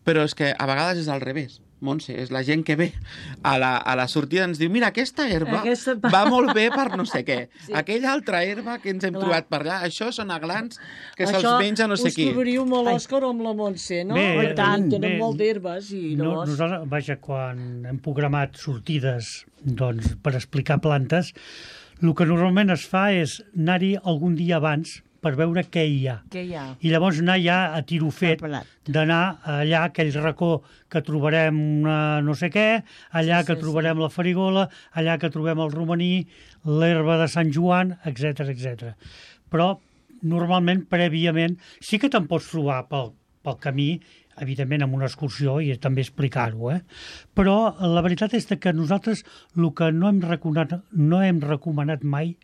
Però és que a vegades és al revés, Montse, és la gent que ve a la, a la sortida ens diu mira, aquesta herba Aquesta- va molt bé per no sé què. Sí. Aquella altra herba que ens hem Clar. trobat per allà, això són aglans que se'ls Això menja no sé us qui. trobaríeu molt l'Òscar o amb la Montse, no? Bé, Perquè i tant, tenen bé. molt d'herbes i No, llavors... nosaltres, vaja, quan hem programat sortides doncs, per explicar plantes, el que normalment es fa és anar-hi algun dia abans per veure què hi ha. Què hi ha? I llavors anar ja a tiro fet, Preparat. d'anar allà a aquell racó que trobarem una no sé què, allà Sí, que sí, trobarem la farigola, allà que trobem el romaní, l'herba de Sant Joan, etc etc. Però normalment, prèviament, sí que te'n pots trobar pel, pel camí, evidentment amb una excursió i també explicar-ho, eh? Però la veritat és que nosaltres el que no hem recomanat, no hem recomanat mai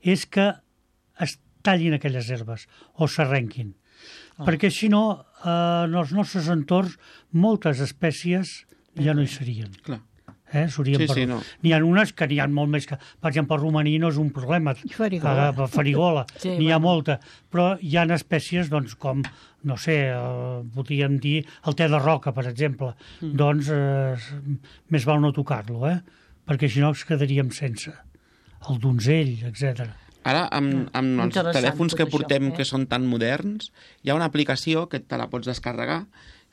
és que es tallin aquelles herbes o s'arrenquin. Ah. Perquè si no, eh, en els nostres entorns, moltes espècies ja no hi serien. Clar. Eh? Sí, sí, no. N'hi ha unes que n'hi ha molt més que... Per exemple, el romaní no és un problema. Farigola. Eh, farigola. Sí, n'hi ha bueno. molta. Però hi ha espècies, doncs, com, no sé, eh, podríem dir el te de roca, per exemple. Mm. Doncs eh, més val no tocar-lo, eh? Perquè si no ens quedaríem sense. El donzell, etcètera. Ara, amb, amb els Interessant, telèfons tot que això, portem eh? que són tan moderns, hi ha una aplicació que te la pots descarregar,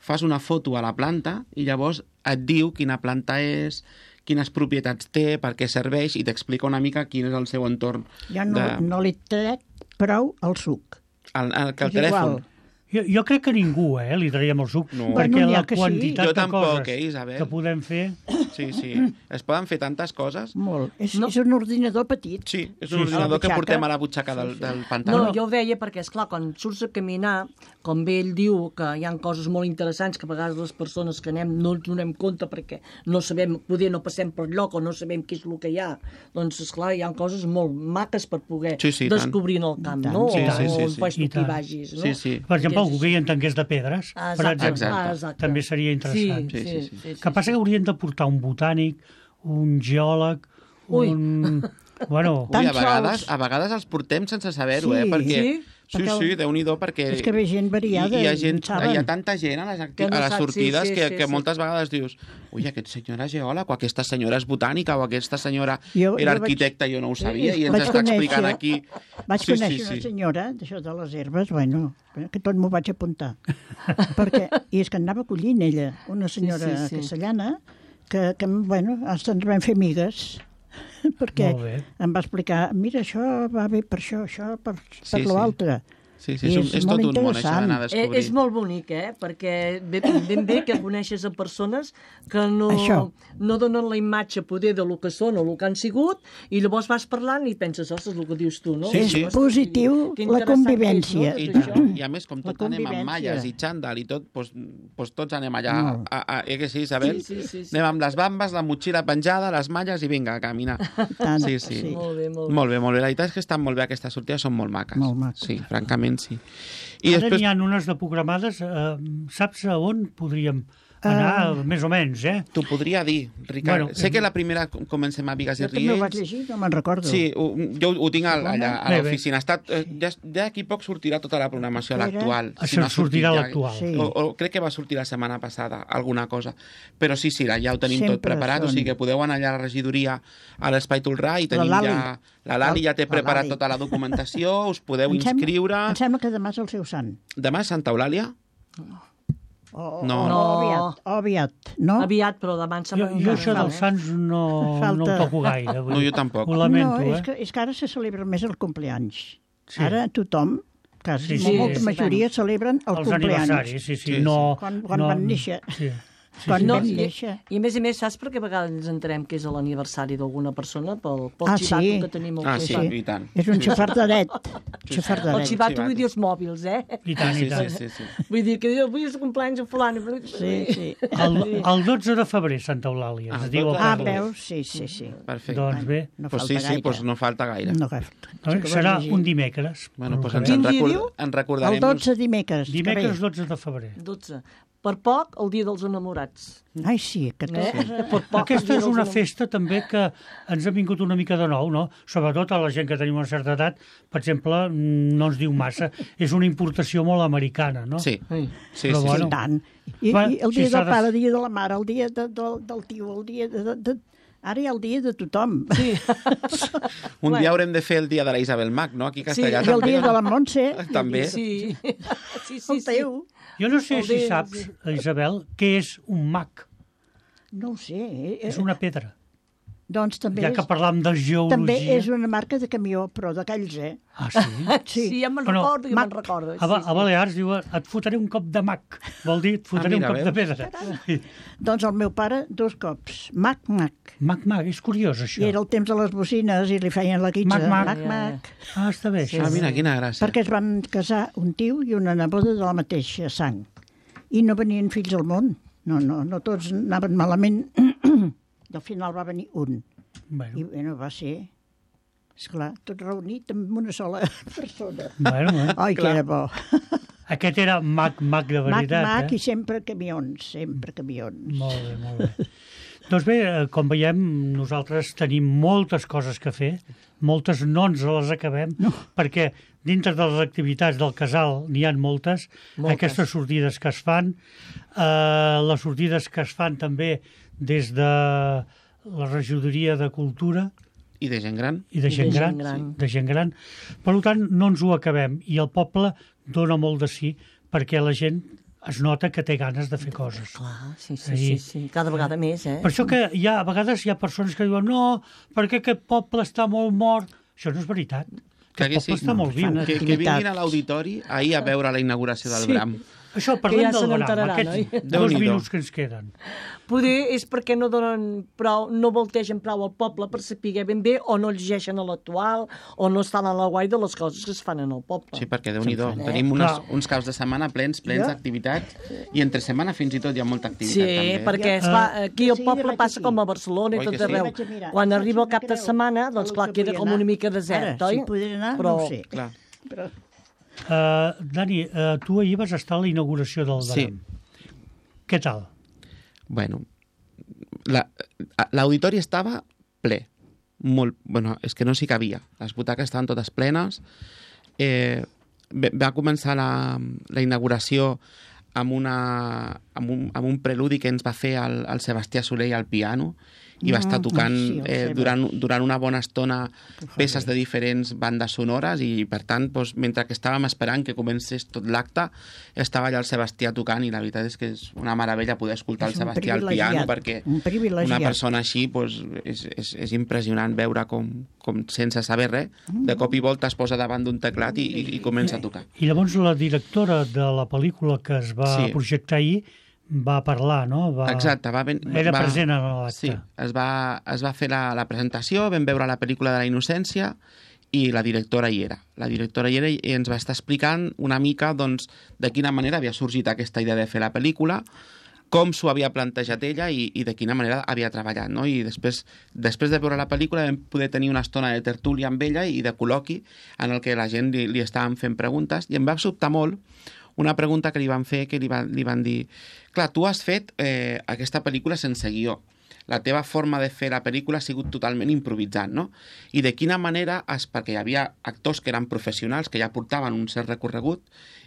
fas una foto a la planta i llavors et diu quina planta és, quines propietats té, per què serveix, i t'explica una mica quin és el seu entorn. Jo no, de... no li trec prou el suc. El, el, que el És telèfon... igual. Jo, jo crec que ningú, eh, li traiem el suc, No. perquè Bueno, n'hi ha la que sí. quantitat Jo de tampoc, coses eh, Isabel? que podem fer... Sí, sí. Es poden fer tantes coses. Molt. És, No. és un ordinador petit. Sí, és Sí, un sí. ordinador que A la portem butxaca. a la butxaca del, del No, pantaló. jo ho deia perquè, és clar, quan surts a caminar, com bé ell diu que hi ha coses molt interessants que a vegades les persones que anem no ens donem compte perquè no sabem, poder no passem per lloc o no sabem què és el que hi ha. Doncs, esclar, hi ha coses molt maques per poder Sí, sí, tant. descobrir en el camp, I tant. no? Sí, o sí, sí, sí. fas I tu que hi tant. vagis, no? Sí, sí. Per exemple, Perquè algú que hi entengués de pedres, Ah, per exacte, exemple, ah, exacte. també seria interessant. Sí, Sí, sí, sí, sí. sí, Que passa que haurien de portar un botànic, un geòleg, Ui. un... Bueno, Ui, Tan a vegades, sols. a vegades els portem sense saber-ho, Sí. eh? Perquè... Sí? Sí, Perquè sí, Déu-n'hi-do, perquè... És que ve gent variada Hi, hi, ha i gent, en saben. hi ha tanta gent a les, acti... Que no a les sap, sortides sí, sí, que, sí, que sí. moltes vegades dius ui, aquest senyor és geòleg, o aquesta senyora és botànica, o aquesta senyora Jo- era jo vaig- arquitecta, jo no ho sabia, i ens Vaig està explicant conèixer- aquí... Vaig Sí, conèixer sí, una sí. senyora d'això de les herbes, bueno, que tot m'ho vaig apuntar. Perquè, i és que anava collint ella, una senyora sí, sí. castellana, que, que bueno, ens en vam fer amigues, perquè Molt bé. em va explicar, mira, això va bé per això, això per, per Sí, sí. l'altre. Sí, sí, I és, un, és és molt tot un món, això d'anar a Eh, descobrir. és molt bonic, eh? Perquè ben, ben bé que coneixes a persones que no, Això. no donen la imatge poder de lo que són o el que han sigut i llavors vas parlant i penses, ostres, el que dius tu, no? Sí, És sí. positiu Que la interessant convivència. que I, és, no, tot tant. això. I a més, com La tots anem amb convivència. malles i xandall i tot, doncs, doncs tots anem allà, Molt. a, a, eh que sí, Isabel? Sí, sí, sí, sí. Anem amb les bambes, la motxilla penjada, les malles i vinga, a caminar. Tant, Sí, sí. sí. Molt bé, molt bé. Molt bé, molt bé. La veritat és que estan molt bé aquestes sortides, són molt maques. Molt maques. Sí, francament sí. I ara després... n'hi ha unes de programades, eh, saps a on podríem anar, uh... més o menys, eh? T'ho podria dir, Ricard. Bueno, sé eh, que la primera comencem a Bigues i Jo també ho vaig Riells. llegir, no me'n recordo. Sí, ho, jo ho tinc al- allà a Bé, bé. l'oficina. Està, eh, ja, ja aquí poc sortirà tota la programació, Espera. l'actual. Això no ha sortit sortirà ja. l'actual. Sí. O, o crec que va sortir la setmana passada, alguna cosa. Però sí, sí, ja ho tenim tot Sempre preparat, o són. sigui que podeu anar allà a la regidoria, a l'Espai Tolrà, i La tenim Lali. ja... La Lali ja té La preparat Lali. tota la documentació, us podeu Em sembla- inscriure... Em sembla que demà és el seu sant. Demà és Santa Eulàlia? O, o, No. o, No. aviat, o aviat, no? Aviat, però demà em Jo, sembla... jo això encara dels no, eh? Sants no, Falta. no ho toco gaire. vull No, dir. jo tampoc. Ho lamento, no, és eh? que, és que ara se celebra més el compleanys. Sí. Ara tothom, quasi Sí, sí, sí. molta Sí, majoria celebren el Els compleanys. aniversaris, sí, sí. Sí, no, Quan- quan no, van néixer. Sí. Quan No, vam i, néixer. I a més a més, saps per què a vegades ens entenem que és l'aniversari d'alguna persona? Pel, pel Ah, xivato sí? que tenim al Ah, sí, costat. i tant. És un xafardaret. sí. Xafardaret. El xivato xivato. vull dir els mòbils, eh? I tant, Sí, i tant. sí, sí, sí. Vull dir que diu, avui és el cumpleaños de fulano. Sí, sí. El, el dotze de febrer, Santa Eulàlia, Ah, es el diu el dotze de Ah, poble. veus? Sí, sí, sí. Perfecte. Doncs bé, No pues falta sí, sí, gaire. pues no falta gaire. No gaire. doncs que serà vas llegir. un dimecres. Bueno, pues pel ens que en, Quin dia record... diu? en El recordarem... dotze dimecres. que Dimecres ve. dotze de febrer. dotze. Per poc, el dia dels enamorats. Ai, sí, que tot... Eh? Per poc, el Aquesta dia és dels una enamorats. festa també que ens ha vingut una mica de nou, no? Sobretot a la gent que tenim una certa edat, per exemple, no ens diu massa. És una importació molt americana, no? Sí, Ai. sí, Però sí. bueno. I tant. I, Va, i el si dia s'ha del de- pare, el dia de la mare, el dia de, del, del tio, el dia de, de, de... Ara hi ha el dia de tothom. Sí. Un Bueno. dia haurem de fer el dia de la Isabel Mac, no? Aquí a Castellà I el també. dia de la Montse, També. Sí, sí, sí. el teu. Jo no sé El si dia- saps, Isabel, què és un mag. No ho sé. eh, És una pedra. Doncs també, Ja que parlam de geologia... també és una marca de camió, però d'aquells, eh? Ah, sí? Sí, Sí, ja me'n Bueno, recordo, ja Mac. me'n recordo. A, Ba- a Balears diu, et fotré un cop de mac. Vol dir, et fotré Ah, un mira, cop de veus? pedra. Sí. Doncs el meu pare, dos cops. Mac, mac. Mac, mac, és curiós, això. I era el temps de les bocines i li feien la guitza. Mac, mac. mac, mac. Ah, està bé, això. Ah, mira, quina gràcia. Perquè es van casar un tio i una neboda de la mateixa sang. I no venien fills al món. No, no, no tots anaven malament. I al final va venir un. Bueno, I bueno, va ser, esclar, tot reunit amb una sola persona. bueno, bueno. Ai, que era bo. Aquest era mac, mac de Mac, veritat, mac eh? i sempre camions, sempre camions. Molt bé, molt bé. Doncs bé, eh, com veiem, nosaltres tenim moltes coses que fer, moltes no ens les acabem, no. perquè dintre de les activitats del casal n'hi ha moltes, Moltes. aquestes sortides que es fan, eh, les sortides que es fan també des de la regidoria de Cultura I de gent gran? i de gent, de gran, gent gran. de gent gran. Per tant, no ens ho acabem. I el poble dona molt de sí perquè la gent es nota que té ganes de fer coses. Clar, sí, sí, Ahí. sí, sí, cada vegada més, eh? Per això que hi ha, a vegades hi ha persones que diuen no, perquè aquest poble està molt mort. Això no és veritat. Clar Aquest que sí. poble està No, molt viu. fan Que, que vinguin a l'auditori ahir a veure la inauguració del Sí. Bram. Això, Que parlem ja se del Bram, n'enteraran, aquests oi? dos Déu-n'hi-do. minuts que ens queden. Poder és perquè no donen prou, no voltegen prou al poble per saber ben bé, o no llegeixen a l'actual, o no estan a la guai de les coses que es fan en el poble. Sí, perquè Déu-n'hi-do. fan, eh? Tenim unes, Clar. uns caps de setmana plens, plens Jo- d'activitats, i entre setmana fins i tot hi ha molta activitat, Sí, també. perquè esclar, aquí al Sí, poble vaig passa aquí. com a Barcelona i Oi tot que sí? arreu. Vaig a mirar. Quan No arriba el faig cap una de creu. setmana, doncs El clar, que queda vull com anar. una mica desert, Ara, oi? si podré anar, Però... no ho sé. Clar. Però Uh, Dani, uh, tu ahir vas estar a la inauguració del Bram. Sí. Què tal? Bueno, la- l'auditori estava ple. Molt, bueno, és que no s'hi cabia. Les butaques estaven totes plenes. Eh, ve- va començar la, la inauguració amb, una, amb, un, amb un preludi que ens va fer el, el Sebastià Soler al piano, i va estar Mm, tocant sí, el eh, Seba. durant, durant una bona estona peces de diferents bandes sonores, i per tant, doncs, mentre que estàvem esperant que comencés tot l'acte, estava allà el Sebastià tocant, i la veritat és que és una meravella poder escoltar És el un Sebastià al piano, privilegiat, perquè un privilegiat. una persona així doncs, és, és, és impressionant veure com, com sense saber res, de cop i volta es posa davant d'un teclat i, i, i comença a tocar. I llavors la directora de la pel·lícula que es va Sí. projectar ahir va parlar, no? Va... Exacte, va ben, Era va, present a l'acte. Sí, es va, es va fer la, la presentació, vam veure la pel·lícula de la innocència i la directora hi era. La directora hi era i ens va estar explicant una mica doncs, de quina manera havia sorgit aquesta idea de fer la pel·lícula, com s'ho havia plantejat ella i, i de quina manera havia treballat, no? I després, després de veure la pel·lícula vam poder tenir una estona de tertúlia amb ella i de col·loqui en el que la gent li, li estàvem fent preguntes, i em va sobtar molt una pregunta que li van fer, que li, va, li van dir clar, tu has fet eh, aquesta pel·lícula sense guió, la teva forma de fer la pel·lícula ha sigut totalment improvisant, no? I de quina manera, has, perquè hi havia actors que eren professionals, que ja portaven un cert recorregut,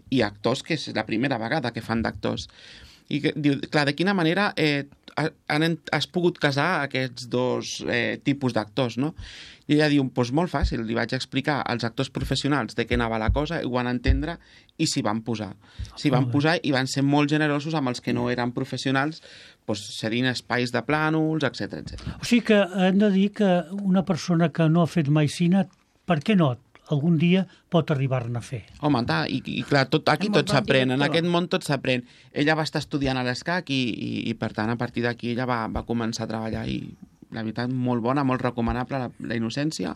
i actors que és la primera vegada que fan d'actors. I que, diu, clar, de quina manera eh, han, has pogut casar aquests dos eh, tipus d'actors, no? I ella diu, doncs molt fàcil, li vaig explicar als actors professionals de què anava la cosa, i ho van entendre i s'hi van posar. S'hi van posar i van ser molt generosos amb els que no eren professionals, doncs cedint espais de plànols, etcètera, etcètera. O sigui que hem de dir que una persona que no ha fet mai cine, per què no? Algun dia pot arribar-ne a fer. Home, ta, i, i clar, tot, aquí Amb el tot bon s'aprèn, en director. aquest món tot s'aprèn. Ella va estar estudiant a l'ESCAC i, i, i, per tant, a partir d'aquí ella va, va començar a treballar i, la veritat, molt bona, molt recomanable, la, la innocència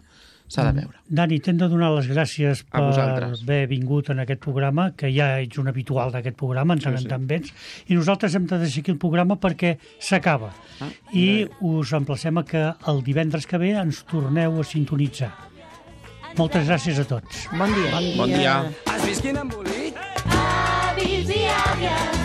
s'ha de veure. Dani, t'hem de donar les gràcies A per vosaltres. haver vingut en aquest programa, que ja ets un habitual d'aquest programa, en tant Sí, en sí. tant vens, i nosaltres hem de deixar aquí el programa perquè s'acaba. Ah, I us emplacem a que el divendres que ve ens torneu a sintonitzar. Moltes gràcies a tots. Bon dia. Bon dia. Avis i àvies,